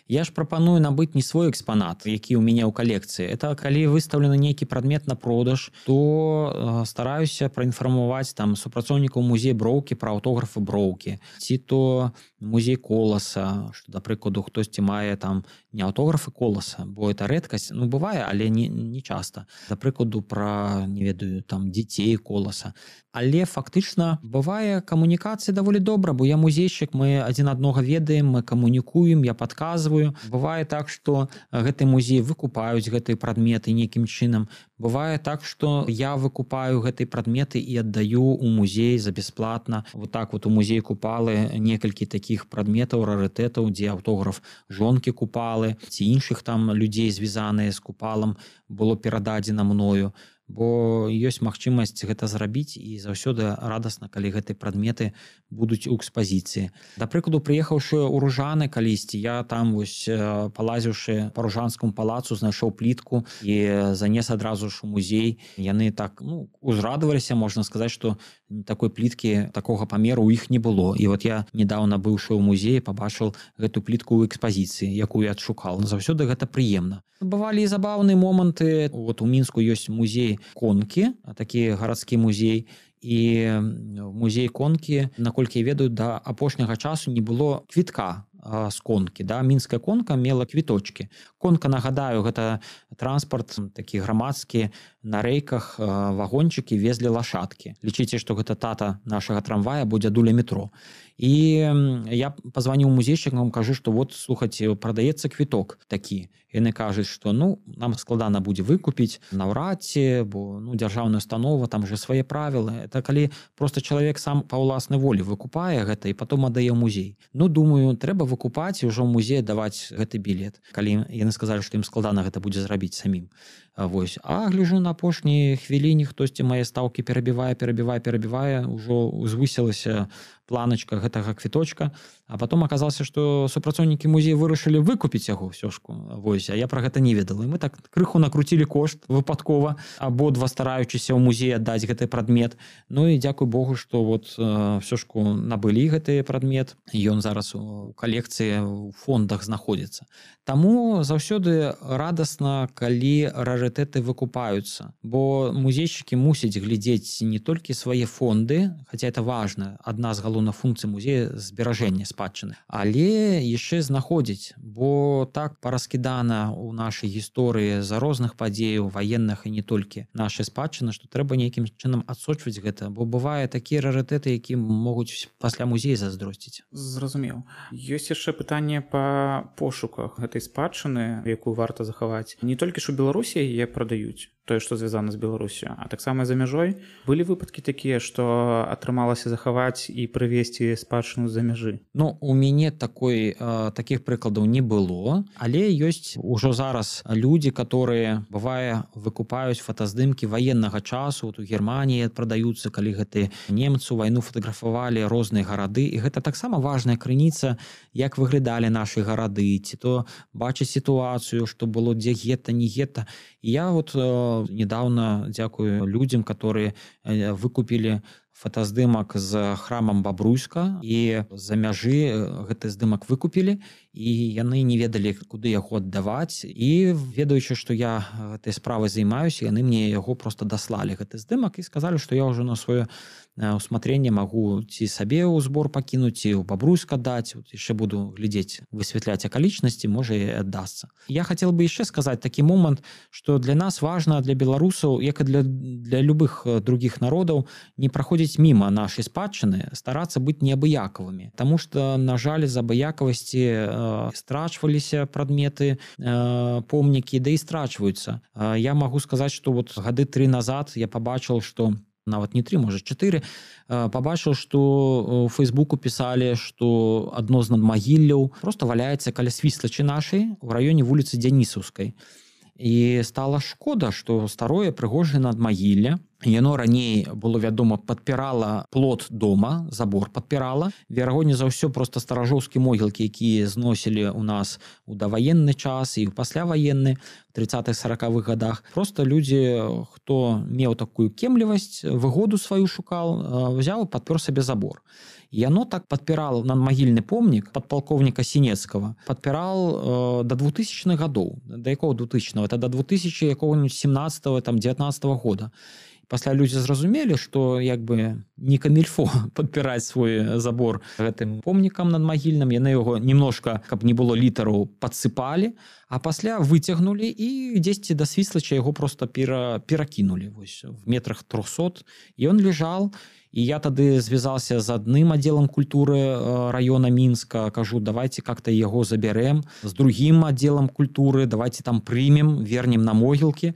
Я ж прапаную набыць не свой экспанат, які ў мяне ў калекцыі. Это калі выстаўлены нейкі прадмет на продаж, то стараюся праінфармаваць там супрацоўнікаў музея Броўкі пра аўтографы Броўкі, ці то музей Коласа, што, да прыкладу, хтосьці мае там не аўтографы Коласа, бо это рэдкасць, ну бывае, але не часта. Да прыкладу, пра, не ведаю, там дзяцей Коласа. Але фактычна бывае камунікацыя даволі добра, бо я музейшчык, мы адзін аднога ведаем, мы камунікуем, я падказваю. Бывае так, што гэты музей выкупаюць гэтыя прадметы нейкім чынам. Бывае так, што я выкупаю гэтыя прадметы і аддаю ў музей за бясплатна. Вот так вот у музей Купалы некалькі такіх прадметаў, рарытэтаў, дзе аўтограф жонкі Купалы ці іншых там людзей, звязаныя з Купалам, было перададзена мною. Бо ёсць магчымасць гэта зрабіць, і заўсёды радасна, калі гэтыя прадметы будуць у экспазіцыі. Да прыкладу, прыехаўшы ў Ружаны калісьці, я там вось палазіўшы па Ружанскому палацу, знайшоў плітку і занес адразу ж у музей. Яны так, узрадаваліся, можна сказаць, што такой пліткі такога памеру ў іх не было. І вот я недаўна быўшы ў музеі, пабачыў гэту плітку ў экспазіцыі, якую я адшукаў. Заўсёды гэта прыемна. Бывалі і забаўныя моманты. Вот у Мінску ёсць музей Конкі, такі гарадскі музей, і в музей Конкі, наколькі я ведаю, да апошняга часу не было квітка з Конкі. Да? Мінская Конка мела квіточкі. Конка, нагадаю, гэта транспарт такі грамадскі, на рэйках вагончыкі везлі лашадкі. Лічыце, што гэта тата нашага трамвая, бо дзядуля метро. І я пазваніў музейшчыкам, кажу, што вот, слухайце, прадаецца квіток такі. Яны кажуць, што нам складана будзе выкупіць наўрад ці, бо дзяржаўная установа, там же свае правілы. Это калі просто чалавек сам па ўласнай волі выкупае гэта і потом аддае ў музей. Думаю, трэба выкупаць і ўжо ў музей даваць гэты білет. Калі яны сказалі, што ім складана гэта будзе зрабіць самім. Вось. А гляжу, на апошняй хвіліне хтосьці мае стаўкі перабівае, ўжо узвысілася планачка гэтага квіточка, а потом аказалася, што супрацоўнікі музея вырашылі выкупіць яго ўсё ж. Вось, а я пра гэта не ведала. І мы так крыху накруцілі кошт выпадкова, абодва стараючыся ў музей аддаць гэты прадмет. Ну і дзякуй Богу, што вот ўсё ж набылі гэты прадмет. Ён зараз у калекцыі ў фондах знаходзіцца. Таму заўсёды радасна, калі рарытэты выкупаюцца, бо музейшчыкі мусяць глядзець не толькі свае фонды, хаця это важна, адна з галоўных функцый музея зберажэння спадчыны, але яшчэ знаходзіць, бо так параскідана ў нашай гісторыі за розных падзеяў ваенных і не толькі нашай спадчыны, што трэба нейкім чынам адсочваць гэта, бо бывае такія рарытэты, які могуць пасля музея заздросціць. Зразумеў. Ёсць яшчэ пытанне па пошуках гэтай спадчыны, якую варта захаваць. Не толькі ж у Беларусі яе прадаюць, тое, што звязана з Беларусю, а таксама за мяжой. Былі выпадкі такія, што атрымалася захаваць і прывезці спадчыну з-за мяжы? У мяне такіх прыкладаў не было, але ёсць ужо зараз людзі, которые, бывае, выкупаюць фотаздымкі ваеннага часу. Вот у Германіі прадаюцца, калі гэты немцы вайну фатаграфавалі розныя гарады, і гэта таксама важная крыніца, як выглядалі нашы гарады, ці то бачыць сітуацыю, што было дзе гета, не гета. І я вот недавно, дзякую людзям, которые выкупілі фотаздымак з храмам Бабруйска, і за мяжы гэты здымак выкупілі, і яны не ведалі, куды яго аддаваць, і ведаючы, што я гэтай справай займаюся, яны мне яго просто даслалі гэты здымак і сказалі, што я ўжо на сваё усмотрение магу ці сабе ў збор пакінуць, ці ў Бабруйска даць, яшчэ буду глядзець, высвятляць акалічнасці, можа і аддасца. Я хацеў бы яшчэ сказаць такі момант, што для нас важна, для беларусаў, як і для любых другіх народаў, не праходзіць праходзіць міма нашай спадчыны, старацца быць неабыякавымі. Таму што, на жаль, з абыякавасці страчваліся прадметы, помнікі, да і страчваюцца. Я магу сказаць, што вот гады 3 назад я пабачыў, што нават не 3, можа 4, пабачыў, што ў Фейсбуку пісалі, што адно з надмагілляў проста валяецца каля свіслачы нашай у раёне вуліцы Дзянісаўскай. І стала шкода, што старое прыгожае надмагілле, яно раней было вядома падпірала плот дома, забор падпірала. Верагодней за ўсё проста старажоўскія могілкі, якія зносілі ў нас у даваенны час і ў пасляваенны, в 30-40-х годах. Просто людзі, хто меў такую кемлівасць, выгоду сваю шукал, взяў і падпёр сабе забор. Яно так падпірала надмагільны помнік падпалкоўніка Сінецкага, падпірал до 2000-х гадоў. Да якого 2000-го? Это до 2017-19 года. Пасля людзі зразумелі, што як бы не камільфо падпіраць свой забор гэтым помнікам надмагільным. Яны яго немножко, каб не было літараў, падсыпалі, а пасля выцягнулі і дзесьці да свіслача яго просто перакінулі. Вось, в метрах 300. І ён лежал. І я тады звязался з адным аддзелам культуры района Мінска, кажу, давайте как-то яго забярэм, з другім аддзелам культуры, давайте там прымем, вернем на могілкі.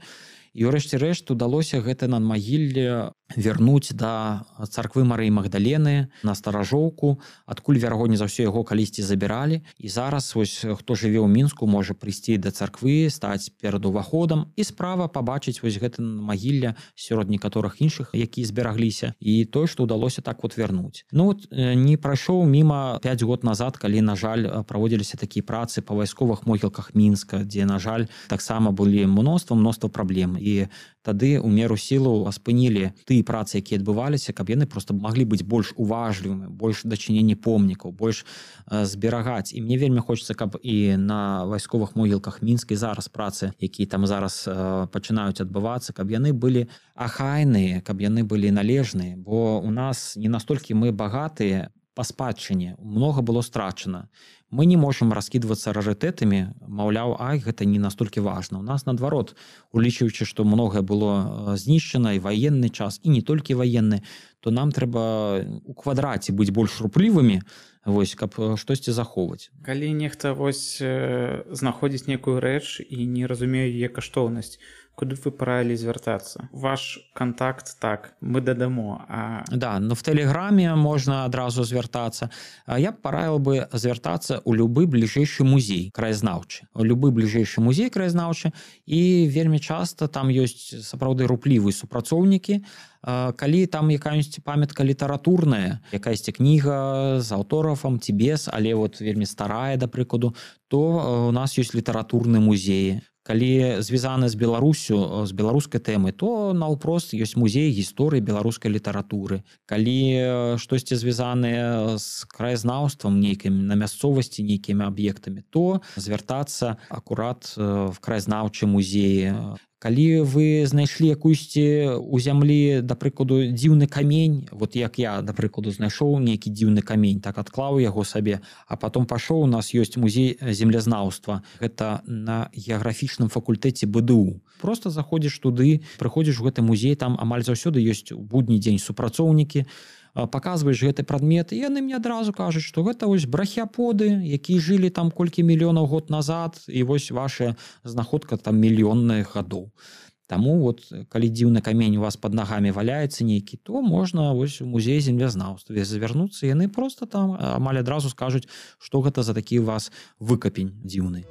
І ўрэшце рэшт удалося гэта надмагілле вярнуць да царквы Марыі Магдалены на Старажоўку, адкуль верагодней за ўсё яго калісьці забіралі. І зараз вось хто жыве ў Мінску, можа прыйсці да царквы, стаць перад уваходам і справа пабачыць вось гэта надмагілле сярод некаторых іншых, якія зберагліся, і тое, што ўдалося так вот вярнуць. Ну вот не прайшоў міма 5 год назад, калі, на жаль, праводзіліся такія працы па вайсковых могілках Мінска, дзе, на жаль, таксама былі мноства праблем. І тады у меру сілаў спынілі тыя працы, якія адбываліся, каб яны просто маглі быць больш уважлівымі, больш дачыненні помнікаў, больш зберагаць. І мне вельмі хочацца, каб і на вайсковых могілках Мінска і зараз працы, якія там зараз пачынаюць адбывацца, каб яны былі ахайныя, каб яны былі належныя, бо у нас не настолькі мы багатыя па спадчыне, много было страчана. Мы не можам раскідвацца рарытэтамі, маўляў, гэта не настолькі важна. У нас, наадварот, улічваючы, што многае было знішчана, і ваенны час, і не толькі ваенны, то нам трэба у квадраце быць больш руплівымі, вось, каб штосьці захоўваць. Калі нехта вось знаходзіць некую рэч і не разумее яе каштоўнасць, куды вы параілі звяртацца? Ваш контакт, так, мы дадамо. Да, но в Тэлеграме можна адразу звяртацца. Я б параіў бы звяртацца ў любы бліжэйшы музей краязнаўчы. Любы бліжэйшы музей краязнаўчы, і вельмі часта там ёсць сапраўды руплівыя супрацоўнікі. Калі там якая-нибудь памятка літаратурная, якаясьці кніга з аўтографам ці без, але вот вельмі старая, да прыкладу, то у нас ёсць літаратурны музеі. Калі звязаны з Беларусю, з беларускай тэмы, то наўпрост ёсць музей гісторыі беларускай літаратуры. Калі штосьці звязанае з краязнаўствам нейкім, на мясцовасці нейкімі аб'ектамі, то звяртацца акурат в краязнаўчы музеі. Калі вы знайшлі якуйсьці ў зямлі, да прыкладу, дзіўны камень, вот як я, да прыкладу, знайшоў нейкі дзіўны камень, так адклаў яго сабе, а потом пашоў, у нас ёсць музей землязнаўства. Гэта на геаграфічным факультэце БДУ. Просто заходзіш туды, прыходзіш у гэты музей, там амаль заўсёды ёсць у будні дзень супрацоўнікі, паказваеш гэты прадмет, і яны мне адразу кажуць, што гэта вось брахіаподы, якія жылі там колькі мільёнаў год назад, і вось ваша знаходка там мільённых гадоў. Таму вот, калі дзіўны камень у вас пад нагамі валяецца нейкі, то можна вось у музей землязнаўства звярнуцца, яны просто там амаль адразу скажуць, што гэта за такі у вас выкапень дзіўны.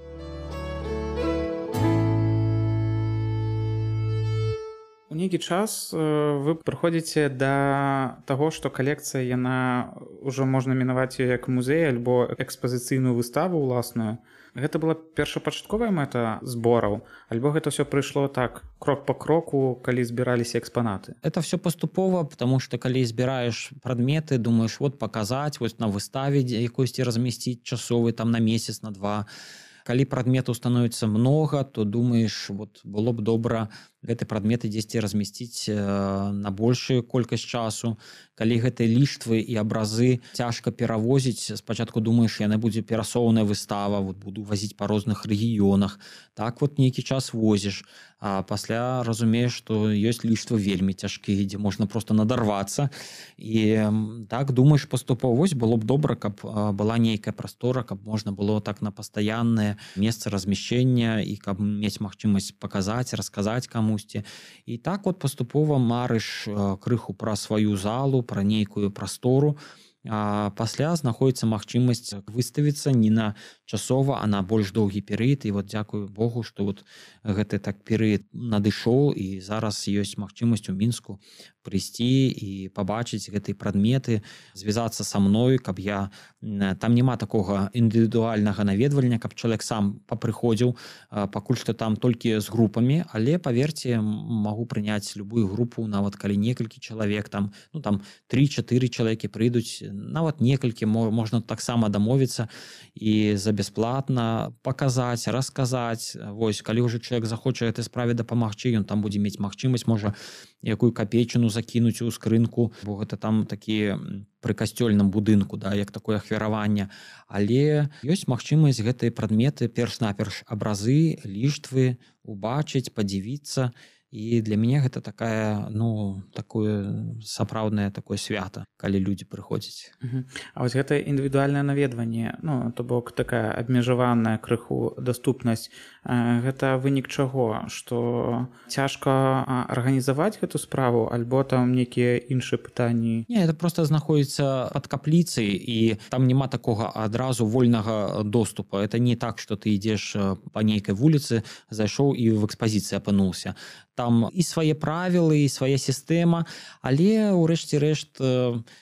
У нейкі час вы прыходзіце да таго, што калекцыя, яна ўжо можна мінаваць ёй як музей альбо экспазіцыйную выставу ўласную. Гэта была першапачатковая мэта збораў, альбо гэта ўсё прыйшло так, крок па кроку, калі збіраліся экспанаты? Это все паступова, потому что калі збіраеш прадметы, думаеш, вот паказаць, вось на выставе якосьці размясціць часовы там на месяц, на 2. Калі прадметаў становіцца многа, то думаеш, вот было б добра гэты прадметы дзесьці размясціць на большую колькасць часу. Калі гэтыя ліштвы і абразы цяжка перавозіць, спачатку думаеш, яна будзе перасоўная выстава, вот буду вазіць па розных рэгіёнах. Так вот нейкі час возіш, а пасля разумееш, што ёсць ліштвы вельмі цяжкія, дзе можна проста надарвацца. І так думаеш паступова. Вось было б добра, каб была нейкая прастора, каб можна было так на пастаяннае месца размяшчэння і каб мець магчымасць паказаць, расказаць камусьці. І так вот паступова марыш крыху пра сваю залу, пра нейкую прастору, а пасля знаходзіцца магчымасць выставіцца не на часова, а на больш доўгі перыяд. І вот дзякую Богу, што вот гэты так перыяд надышоў, і зараз ёсць магчымасць у Мінску прыйсці і пабачыць гэтыя прадметы, звязацца са мной, каб я... Там няма такога індывідуальнага наведвання, каб чалавек сам папрыходзіў, пакуль што там толькі з групамі, але, паверце, магу прыняць любую групу, нават калі некалькі чалавек, там 3-4 чалавекі прыйдуць, нават некалькі, можна таксама дамовіцца і за бясплатна паказаць, расказаць. Вось, калі ўжо чалавек захоча гэтай справе дапамагчы, ён там будзе мець магчымасць, можа, якую капейчыну закінуць у скрынку, бо гэта там такі пры касцёльным будынку, да, як такое ахвяраванне. Але ёсць магчымасць гэтыя прадметы, перш-наперш абразы, ліштвы убачыць, падзівіцца. І для мяне гэта такая, такое сапраўднае такое свята, калі людзі прыходзяць. А вось гэта індывідуальнае наведванне, то бок такая абмежаваная крыху даступнасць, гэта вынік чаго? Што цяжка арганізаваць гэту справу, альбо там нейкія іншыя пытанні? Не, это просто знаходзіцца пад капліцай, і там няма такога адразу вольнага доступа. Это не так, што ты ідзеш па нейкай вуліцы, зайшоў і в экспазіцыі апынуўся. Там і свае правілы, і свая сістэма, але ўрэшце рэшт,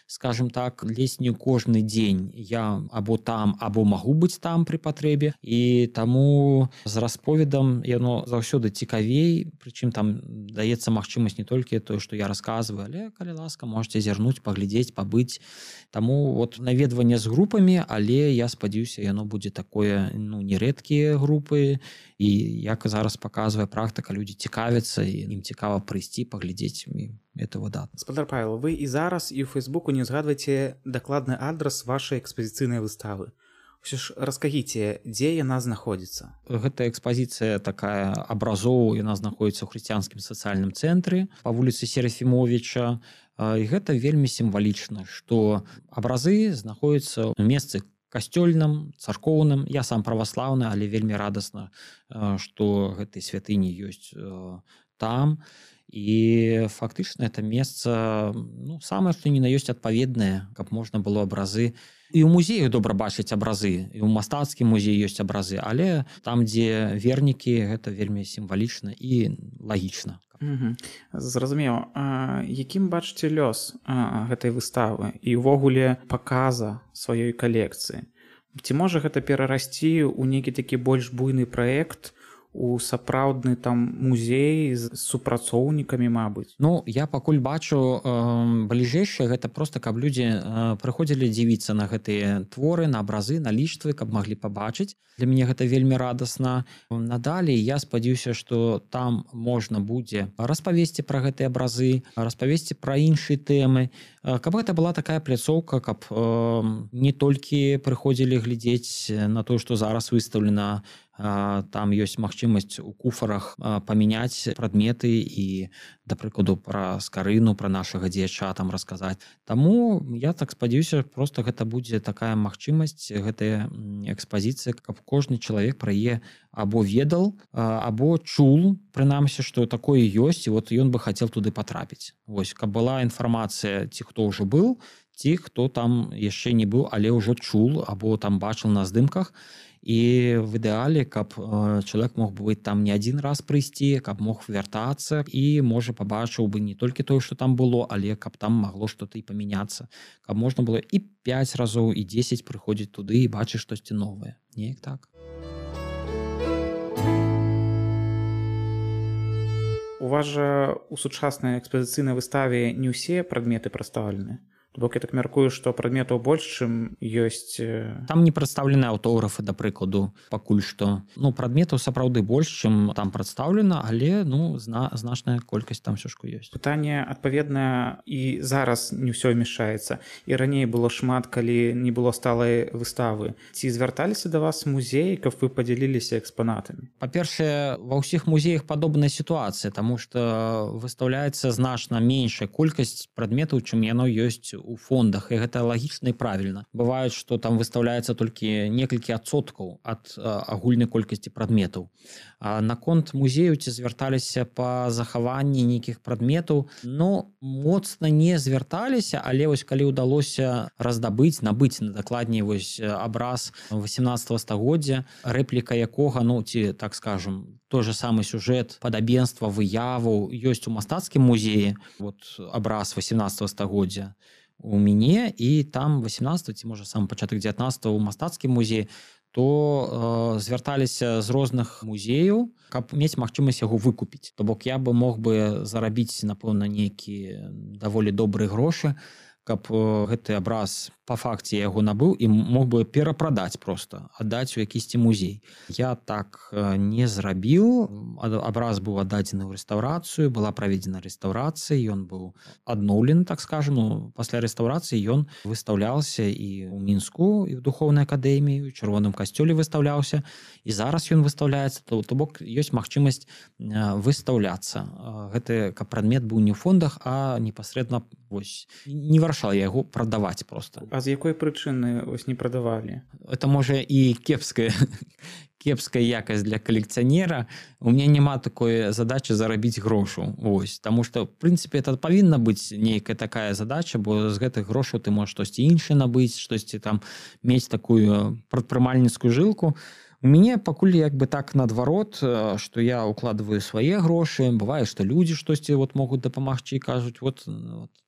скажем так, ледзь не кожны дзень я або там, або магу быць там пры патрэбе, і таму з расповедам яно заўсёды цікавей, прычым там даецца магчымасць не толькі тое, што я расказваю, але, калі ласка, можаце зірнуць, паглядзець, пабыць. Таму вот наведванне з групамі, але я спадзяюся, яно будзе такое, нерэдкія групы, і як зараз паказвае практыка, людзі цікавяцца, і ім цікава прыйсці, паглядзець, і это выдатна. Гаспадар Павел, вы і зараз і ў Фейсбуку не згадваеце дакладны адрас вашай экспазіцыйнай выставы. Усё ж раскажыце, дзе яна знаходзіцца? Гэта экспазіцыя такая абразоў, яна знаходзіцца ў хрысціянскім сацыяльным цэнтры па вуліцы Серафімовіча. І гэта вельмі сімвалічна, што абразы знаходзяцца ў месцы касцёльным, царкоўным. Я сам праваслаўны, але вельмі радасна, што гэтыя святыні ёсць там. І фактычна это месца, самае што ні на ёсць адпаведнае, каб можна было абразы. І ў музею добра бачыць абразы, і ў мастацкім музеі ёсць абразы, але там, дзе вернікі, гэта вельмі сімвалічна і лагічна. Зразумеў. Якім бачыце лёс гэтай выставы і ўвогуле паказа сваёй калекцыі? Ці можа гэта перарасці ў нейкі такі больш буйны праект, у сапраўдны там музей з супрацоўнікамі, мабыць? Я пакуль бачу бліжэйшае, гэта проста, каб людзі прыходзілі дзівіцца на гэтыя творы, на абразы, на ліштвы, каб маглі пабачыць. Для мяне гэта вельмі радасна. Надалей я спадзяюся, што там можна будзе распавесці пра гэтыя абразы, распавесці пра іншыя тэмы, каб гэта была такая пляцоўка, каб не толькі прыходзілі глядзець на тое, што зараз выстаўлена. Там ёсць магчымасць у куфарах памяняць прадметы і, да прыкладу, пра скарыну, пра нашага дзеяча там расказаць. Таму я так спадзяюся, проста гэта будзе такая магчымасць, гэтая экспазіцыя, каб кожны чалавек пра яе або ведал, або чул, прынамсі, што такое ёсць, і вот ён бы хацеў туды патрапіць. Вось, каб была інфармацыя, ці хто ўжо быў, ці хто там яшчэ не быў, але ўжо чул, або там бачыў на здымках. І в ідэале, каб чалавек мог быць там не адзін раз прыйсці, каб мог вяртацца і, можа, пабачыў бы не толькі тое, што там было, але каб там магло што-то і памяняцца. Каб можна было і 5 разоў, і 10 прыходзіць туды і бачыць штосьці новае. Неяк так. У вас жа у сучаснай экспазіцыйнай выставе не ўсе прадметы прадстаўлены. Бок я так мяркую, што прадметаў больш, чым ёсць. Там не прадстаўлены аўтографы, да прыкладу, пакуль што. Ну, прадметаў сапраўды больш, чым там прадстаўлена, але значная колькасць там ўсё ж ёсць. Пытанне адпаведна і зараз не ўсё вмяшчаецца. І раней было шмат, калі не было сталай выставы. Ці звярталіся да вас музеі, каб вы падзяліліся экспанатамі? Па-першае, ва ўсіх музеях падобная сітуацыя, таму што выстаўляецца значна меншая колькасць прадметаў, чым яно ёсць у фондах, і гэта лагічна і правільна. Бываюць, што там выстаўляецца толькі некалькі адсоткаў ад агульнай колькасці прадметаў. А наконт музею ці звярталіся па захаванні нейкіх прадметаў, ну, моцна не звярталіся, але вось калі ўдалося набыць дакладней вось абраз 18 стагоддзя, рэпліка якога, ну, ці, так скажем, той же самы сюжэт, падабенства, выяваў ёсць у мастацкім музеі, вот абраз 18 стагоддзя у мяне, і там 18 ці, можа, сам пачатак 19 у мастацкім музеі, то звярталіся з розных музеяў, каб мець магчымасць яго выкупіць. То бок я бы мог бы зарабіць, напэўна, нейкія даволі добрыя грошы, каб гэты абраз па факце яго набыў і мог бы перапрадаць проста, аддаць у якісьці музей. Я так не зрабіў. Абраз быў аддадзены ў рэстаўрацыю, была праведзена рэстаўрацыя, ён быў адноўлены, так скажем. Пасля рэстаўрацыі ён выстаўляўся і ў Мінску, і ў духоўнай акадэміі, у Чырвоным касцёле выстаўляўся, і зараз ён выстаўляецца, то бок ёсць магчымасць выстаўляцца. Гэты прадмет быў не ў фондах, а непасрэдна вось не вырашала яго прадаваць проста. А з якой прычыны вось не прадавалі? Это можа і кепская якасць для калекцыянера. У меня няма такой задачы зарабіць грошу. Вось, таму што, в прынцыпе, это павінна быць нейкая такая задача, бо з гэтых грошаў ты можаш штосьці іншае набыць, штосьці там мець такую прадпрымальніцкую жылку. У мяне пакуль як бы так наадварот, што я укладываю свае грошы. Бывае, што людзі штосьці вот могуць дапамагчы і кажуць, вот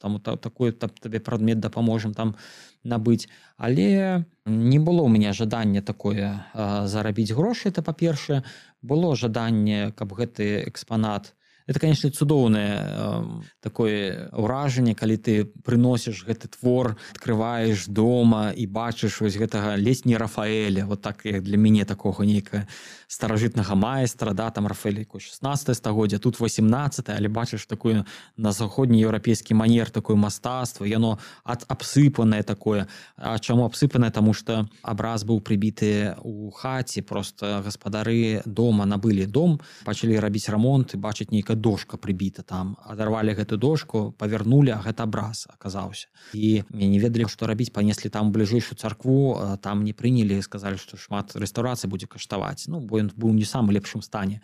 там такой табе прадмет дапаможам там набыць. Але не было ў мяне жадання такое зарабіць грошы, это па-першае. Было жаданне, каб гэты экспанат. Это, конечно, цудоўнае такое ўражанне, калі ты прыносіш гэты твор, открываеш дома і бачыш вось гэтага ледзь не Рафаэля, вот так, як для мяне такога нейкага старажытнага майстра, да, там Рафаэль 16 стагоддзя, тут 18, але бачыш такое на заходнееўрапейскі манер, такое мастацтва, яно абсыпанае такое. А чаму абсыпанае? Таму што абраз быў прыбіты ў хаце, просто гаспадары дома набылі дом, пачалі рабіць рамонт і бачыць нейкая дошка прыбіта там. Адарвалі гэту дошку, павярнулі, а гэта абраз аказаўся. І не ведалі, што рабіць, панеслі там бліжэйшую царкву, там не прынялі, сказалі, што шмат рэстаўрацыі будзе каштаваць. Ну, бо ён быў не самым лепшым стане.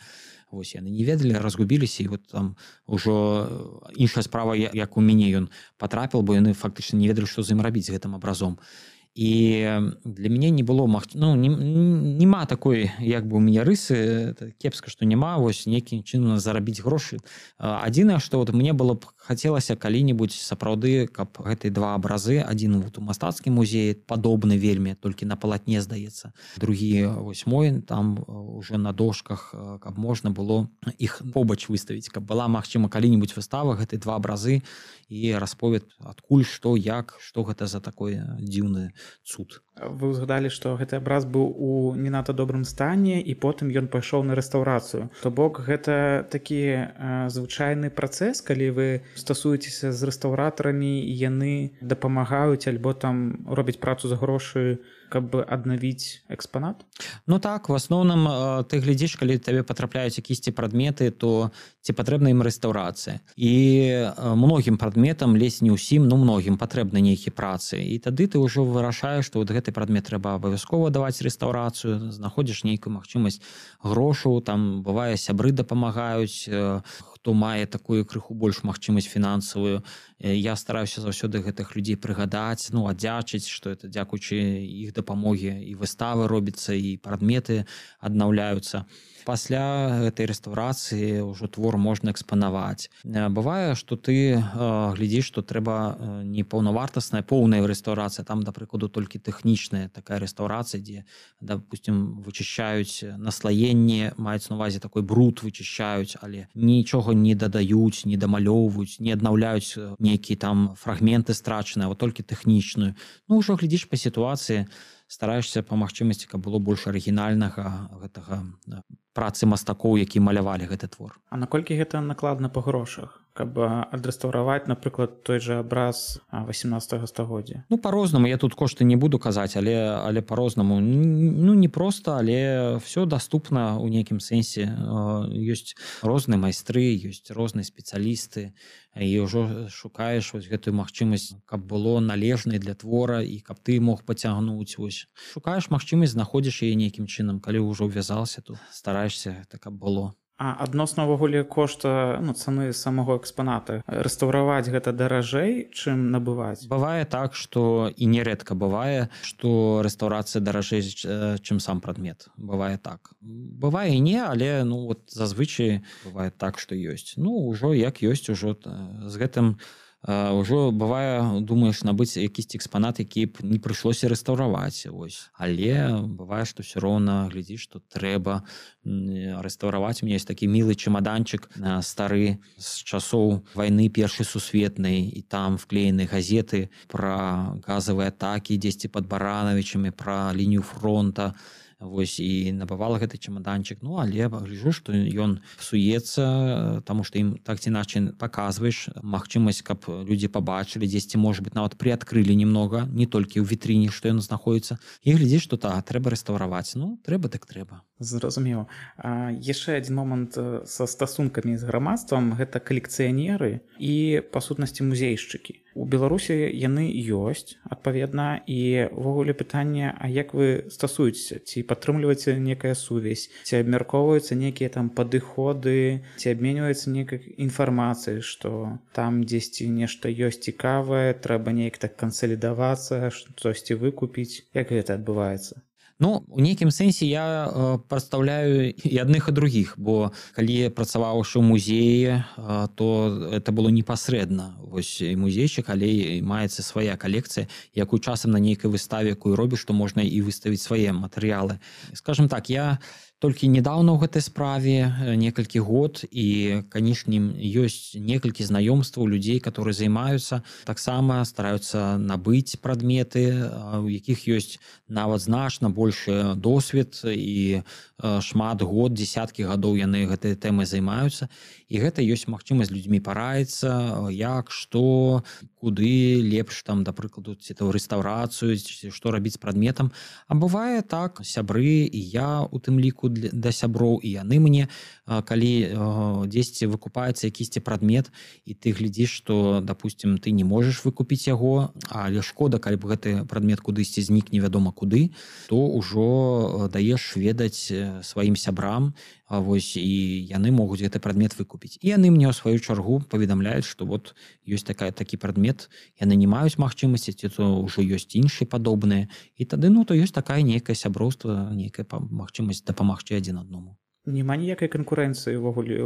Вось яны не ведалі, разгубіліся, і вот там ужо іншая справа, як у мяне ён патрапіў, бо яны фактычна не ведалі, што з ім рабіць з гэтым абразом. І для мяне не было няма такой як бы у мяне рысы, кепска, што няма вось нейкім чынам зарабіць грошы. Адзінае, што вот мне было б хацелася калі-небудзь сапраўды, каб гэтыя два абразы, адзін вот у мастацкім музеі падобны вельмі, толькі на палатне, здаецца, другі вось мой там уже на дошках, каб можна было іх побач выставіць, каб была магчыма калі-небудзь выстава гэтыя два абразы і расповед адкуль, што, як, што гэта за такое дзіўнае цуд. Вы ўзгадалі, што гэты абраз быў у не надта добрым стане, і потым ён пайшоў на рэстаўрацыю. То бок гэта такі звычайны працэс, калі вы стасуецеся з рэстаўратарамі, і яны дапамагаюць альбо там робяць працу за грошы, каб аднавіць экспанат? Ну так, в асноўным ты глядзіш, калі табе патрапляюць якісьці прадметы, то ці патрэбна ім рэстаўрацыя. І многім прадметам, ледзь не ўсім, ну многім патрэбны нейкі працы. І тады ты ўжо вырашаеш, што вот гэты прадмет трэба абавязкова даваць рэстаўрацыю, знаходзіш нейкую магчымасць грошаў, там бывае сябры дапамагаюць, хто мае такую крыху больш магчымасць фінансавую. Я стараюся заўсёды гэтых людзей прыгадаць, ну, аддзячыць, што это дзякуючы іх дапамогі і выставы робіцца, і прадметы аднаўляюцца. Пасля гэтай рэстаўрацыі ўжо твор можна экспанаваць. Бывае, што ты глядзіш, што трэба не паўнавартасная поўная рэстаўрацыя, там, да прыкладу, толькі тэхнічная такая рэстаўрацыя, дзе, допустим, вычышчаюць наслаенне, маюць на увазе такой бруд вычышчаюць, але нічога не дадаюць, не дамалёўваюць, не аднаўляюць нейкія там фрагменты страчаныя, а толькі тэхнічную. Ну, ўжо глядзіш па сітуацыі, стараешся па магчымасці, каб было больш арыгінальнага гэтага працы мастакоў, які малявалі гэты твор. А наколькі гэта накладна па грошах? Каб адрэстаўраваць, напрыклад, той жа абраз 18 стагоддзя? Ну, па-рознаму, я тут кошты не буду казаць, але па-рознаму. Ну, не проста, але все даступна ў нейкім сэнсе. Ёсць розныя майстры, ёсць розныя спецыялісты, і ўжо шукаеш вось гэтую магчымасць, каб было належнай для твора і каб ты мог пацягнуць. Вось. Шукаеш магчымасць, знаходзіш яе нейкім чынам, калі ўжо ўвязался, то стараешся, так каб было. А адносна ўвогуле кошта, цаны самого экспаната, рэстаўраваць гэта даражэй, чым набываць? Бывае так, што і нерэдка бывае, што рэстаўрацыя даражэй, чым сам прадмет. Бывае так. Бывае і не, але зазвычай бывае так, што ёсць. Ужо як ёсць, ужо з гэтым ўжо бывае, думаеш набыць якісьці экспанат, які б не прыйшлося рэстаўраваць. Але бывае, што ўсё роўна глядзіш, што трэба рэстаўраваць. У меня ёсць такі мілы чемаданчык стары з часоў вайны першай сусветнай, і там вклеены газеты пра газавыя атакі дзесьці пад Баранавічамі, пра лінію фронта. Вось, і набывала гэты чемаданчык. Але гляджу, што ён псуецца, таму што ім так ці іначай паказваеш магчымасць, каб людзі пабачылі, дзесьці, можа быць, нават прыадкрылі немнога, не толькі ў вітрыне, што ён знаходіцца. І глядзіш, што трэба рэстаўраваць. Трэба так трэба. Зразумела. Яшчэ адзін момант са стасункамі з грамадствам — гэта калекцыянеры і, па сутнасці, музейшчыкі. У Беларусі яны ёсць, адпаведна, і ўвогуле пытанне, а як вы стасуецеся? Ці падтрымліваеце некая сувязь? Ці абмяркоўваюцца нейкія там падыходы? Ці абменьваецца нейкай інфармацыяй, што там дзесьці нешта ёсць цікавае, трэба неяк так кансалідавацца, штосьці выкупіць? Як гэта адбываецца? У нейкім сэнсе я прадстаўляю і адных і другіх, бо калі я працаваў ў музеі, то это было непасрэдна. Вось і музейчык, але і маецца свая калекцыя, якую часам на нейкай выставе, якую робіш, што можна і выставіць свае матэрыялы. Скажам так, я толькі недаўна ў гэтай справе, некалькі год, і, канешне, ёсць некалькі знаёмстваў людзей, которые займаюцца, таксама стараюцца набыць прадметы, у якіх ёсць нават значна большы досвед, і шмат год, дзесяткі гадоў яны гэтай тэмай займаюцца, і гэта ёсць магчымасць людзьмі параіцца, як, што, куды лепш, там, да прыкладу, ці то рэстаўрацыю, ці што рабіць з прадметам. А бывае так, сябры, і я у тым ліку да сяброў, і яны мне, калі дзесьці выкупаецца якісьці прадмет, і ты глядзіш, што, допустим, ты не можаш выкупіць яго, але шкода, калі б гэты прадмет кудысьці знік невядома куды, то ўжо даеш ведаць сваім сябрам, вось, і яны могуць гэты прадмет выкупіць. І яны мне ў сваю чаргу паведамляюць, што вот ёсць такі прадмет, яны не маюць магчымасці, ці то ўжо ёсць іншыя падобныя, і тады, то ёсць такая нейкае сяброўства, нейкая магчымасць дапамагчы адзін аднаму. Няма ніякай канкурэнцыі ўвогуле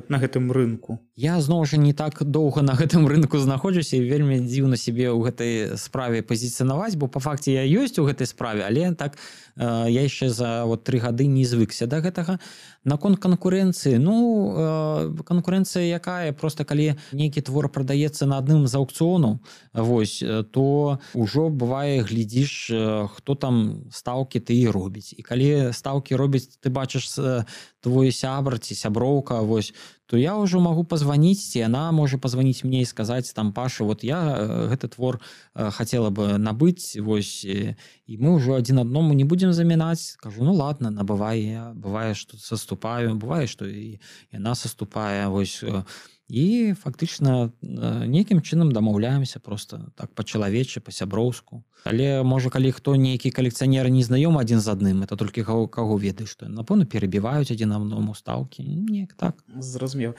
на гэтым рынку? Я, зноў жа, не так доўга на гэтым рынку знаходжуся, і вельмі дзіўна сябе ў гэтай справе пазіцыянаваць, бо па факце я ёсць у гэтай справе, але так я яшчэ за 3 гады не звыкся да гэтага. Наконт канкурэнцыі, канкурэнцыя якая? Проста калі нейкі твор прадаецца на адным з аўкцыёнаў, вось, то ўжо бывае, глядзіш, хто там стаўкі ты і робіць. І калі стаўкі робіць, ты бачыш твой сябр ці сяброўка, вось, то я ўжо магу пазваніць, ці яна можа пазваніць мне і сказаць, там, Паша, вот я гэты твор хацела бы набыць, вось, і мы ўжо адзін аднаму не будзем замінаць. Кажу, ладно, набывай. Я бывае, што саступаю, бывае, што і яна саступае, вось. І фактычна нейкім чынам дамаўляемся проста так па-чалавечы, па-сяброўску. Але, можа, калі хто нейкі калекцыянер не знаёмы адзін з адным, это толькі каго ведаеш, што, напэўна, перабіваюць адзін аднаму стаўкі. Неяк так. Зразумела. зразумеў.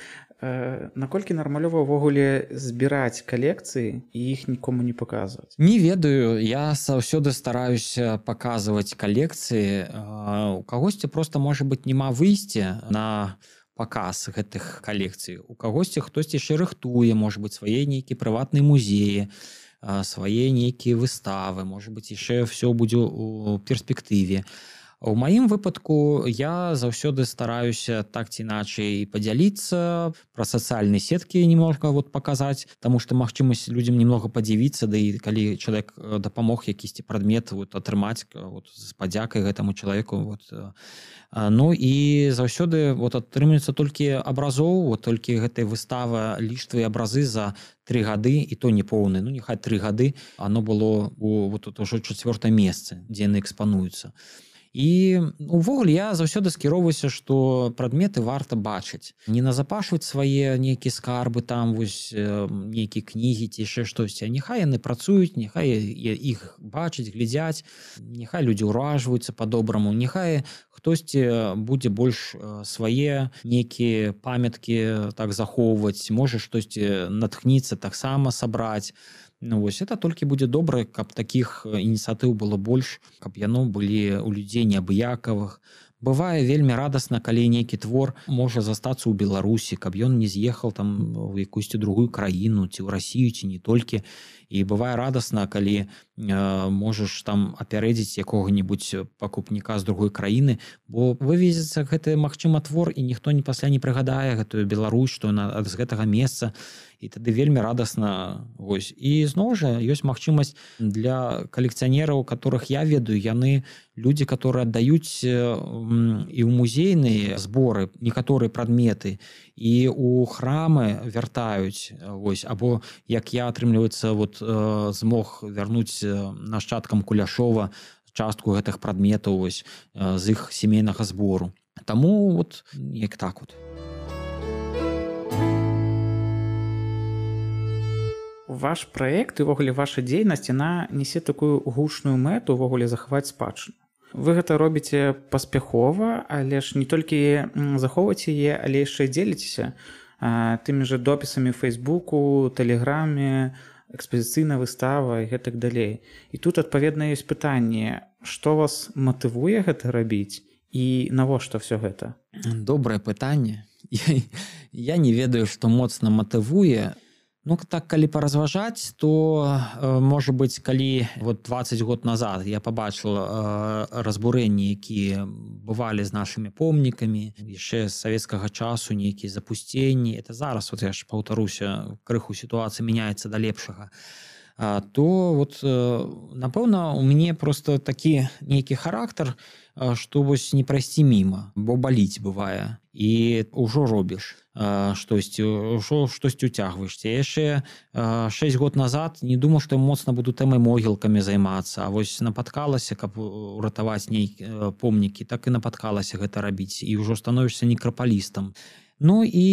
Наколькі нармалёва ўвогуле збіраць калекцыі і іх нікому не паказваць? Не ведаю, я заўсёды стараюся паказваць калекцыі. У кагосьці проста, можа быць, няма выйсця на паказ гэтых калекцый. У кагосьці хтосьці яшчэ рыхтуе, можа быць, свае нейкія прыватныя музеі, свае нейкія выставы, можа быць, яшчэ ўсё будзе ў перспектыве. У маім выпадку я заўсёды стараюся так ці іначай падзяліцца, пра сацыяльныя сеткі немножко паказаць, таму што магчымасць людзям немного падзівіцца, да і калі чалавек дапамог якісьці прадмет атрымаць з падзякай гэтаму чалавеку. Ну і заўсёды атрымліваецца толькі абразоў, толькі гэтай выставы ліштвы абразы за 3 гады, і то не поўны, няхай 3 гады, оно было ўжо 4-е месца, дзе яны экспануюцца. І увогуле я заўсёды скіроўваюся, што прадметы варта бачыць. Не назапашваць свае нейкія скарбы, там нейкія кнігі ці яшчэ штосьці. Няхай яны працуюць, няхай іх бачаць, глядзяць, няхай людзі ўражваюцца па-добраму, няхай хтосьці будзе больш свае нейкія памяткі так захоўваць, можа штосьці натхніцца таксама сабраць. Это толькі будзе добра, каб такіх ініцыятыў было больш, каб яно былі ў людзей неабыякавых. Бывае вельмі радасна, калі нейкі твор можа застацца ў Беларусі, каб ён не з'ехаў там у якуюсьці другую краіну, ці ў Расію, ці не толькі. І бывае радасна, калі можаш там апярэдзіць якога-небудзь пакупніка з другой краіны, бо вывезецца гэты, магчыма, твор, і ніхто пасля не прыгадае гэтую Беларусь, што яна з гэтага месца. І тады вельмі радасна. І зноў жа ёсць магчымасць для калекцыянераў, которых я ведаю, яны людзі, которые аддаюць і ў музейныя зборы некаторыя прадметы, і ў храмы вяртаюць, або як я, атрымліваецца, змог вярнуць нашчадкам Куляшова частку гэтых прадметаў з іх сямейнага збору. Таму як так . Ваш праект і ўвогуле ваша дзейнасць, яна нясе такую гучную мэту ўвогуле захаваць спадчыну. Вы гэта робіце паспяхова, але ж не толькі захоўваеце яе, але яшчэ дзеліцеся тымі ж допісамі ў Фейсбуку, Тэлеграме, экспазіцыйная выстава і гэтак далей. І тут, адпаведна, ёсць пытанне, што вас матывуе гэта рабіць і навошта ўсё гэта? Добрае пытанне. Я не ведаю, што моцна матывуе. Так, калі паразважаць, то, можа быць, калі 20 год назад я пабачыў разбурэнні, якія бывалі з нашымі помнікамі, яшчэ з савецкага часу нейкія запусценні, это зараз, я ж паўтаруся, крыху сітуацыя мяняецца да лепшага, то, напэўна, у мяне проста такі нейкі характар, што не прайсці міма, бо баліць бывае, і ўжо робіш штосьці, ўжо штосьці уцягваешся. Я яшчэ 6 год назад не думаў, што я моцна буду тэмай могілкамі займацца, а напаткалася, каб уратаваць нейкія помнікі, так і напаткалася гэта рабіць, і ўжо становішся некрапалістам. І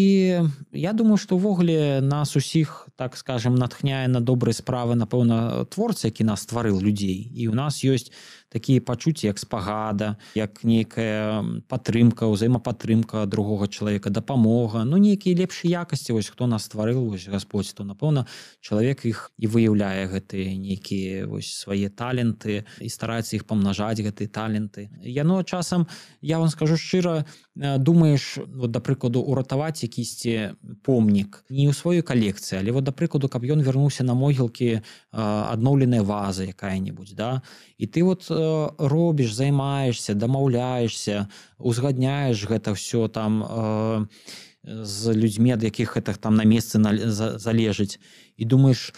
я думаю, што ўвогуле нас усіх, так скажем, натхняе на добрыя справы, напэўна, творца, які нас стварыў людзей. І ў нас ёсць такія пачуцці, як спагада, як нейкая падтрымка, ўзаемападтрымка другога чалавека, дапамога, нейкія лепшыя якасці, хто нас стварыў, Гасподзь, то, напэўна, чалавек іх і выяўляе гэтыя нейкія свае таленты і стараецца іх памнажаць, гэтыя таленты. Яно часам, я вам скажу шчыра, думаеш, да прыкладу, уратаваць якісьці помнік не ў сваёй калекцыі, але да прыкладу, каб ён вярнуўся на могілкі адноўленая ваза якая-небудзь, да? І ты робіш, займаешься, дамаўляешься, узгадняеш гэта ўсё там з людзьмі, ад якіх гэта там на месцы залежыць. І думаеш,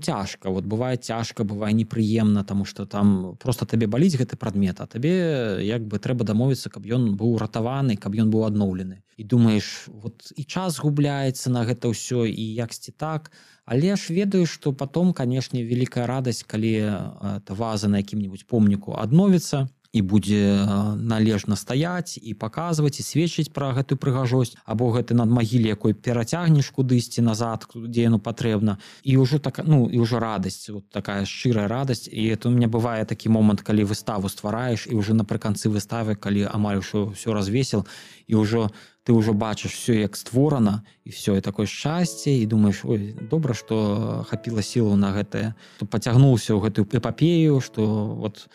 цяжка, бывае цяжка, бывае непрыемна, таму што там проста табе баліць гэты прадмет, а табе як бы трэба дамовіцца, каб ён быў ратаваны, каб ён быў адноўлены. І думаеш, і час губляецца на гэта ўсё, і яксьці так, але ж ведаю, што потом, канешне, вялікая радасць, калі ваза на якім-небудзь помніку адновіцца, і будзе належна стаяць і паказваць і сведчыць пра гэтую прыгажосць, або гэты над магіле якой перацягнеш кудысьці назад, дзе яно патрэбна, і ўжо і ўжо радасць, такая шчырая радасць. І это у меня бывае такі момант, калі выставу ствараеш, і ўжо напрыканцы выставы, калі амаль ўсё развесіл, і ўжо ты ўжо бачыш все як створана і все і такое шчасце і думаеш, ой, добра, што хапіла сілаў на гэтае, што пацягнуўся ў гэтую эпапею, што вот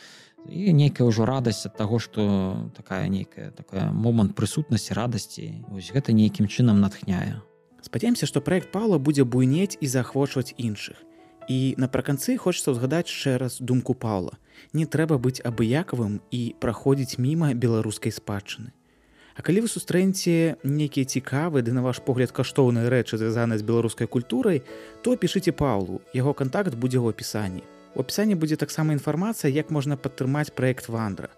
і нейкая ўжо радасць ад таго, што такая нейкая момант прысутнасці, радасці, вось гэта нейкім чынам натхняе. Спадзяемся, што праект Паўла будзе буйнець і заахвочваць іншых. І напрыканцы хочацца ўзгадаць яшчэ раз думку Паўла. Не трэба быць абыякавым і праходзіць міма беларускай спадчыны. А калі вы сустрэнеце нейкія цікавыя, ды на ваш погляд каштоўныя рэчы, звязаныя з беларускай культурай, то пішыце Паўлу. Яго кантакт будзе ў апісанні. У апісанні будзе таксама інфармацыя, як можна падтрымаць праект «Вандра».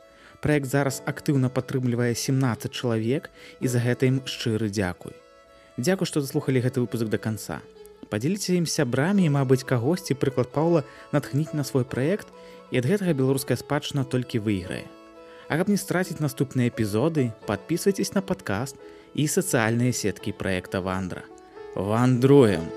Праект зараз актыўна падтрымлівае 17 чалавек, і за гэта ім шчыры дзякуй. Дзякуй, што заслухалі гэты выпуск да канца. Падзеліце ім сябрамі і, мабыць, кагосьці прыклад Паўла натхніць на свой праект, і ад гэтага беларуская спадчына толькі выйграе. А каб не страціць наступныя эпізоды, падпісвайцеся на падкаст і сацыяльныя сеткі праекта «Вандра». Вандруем!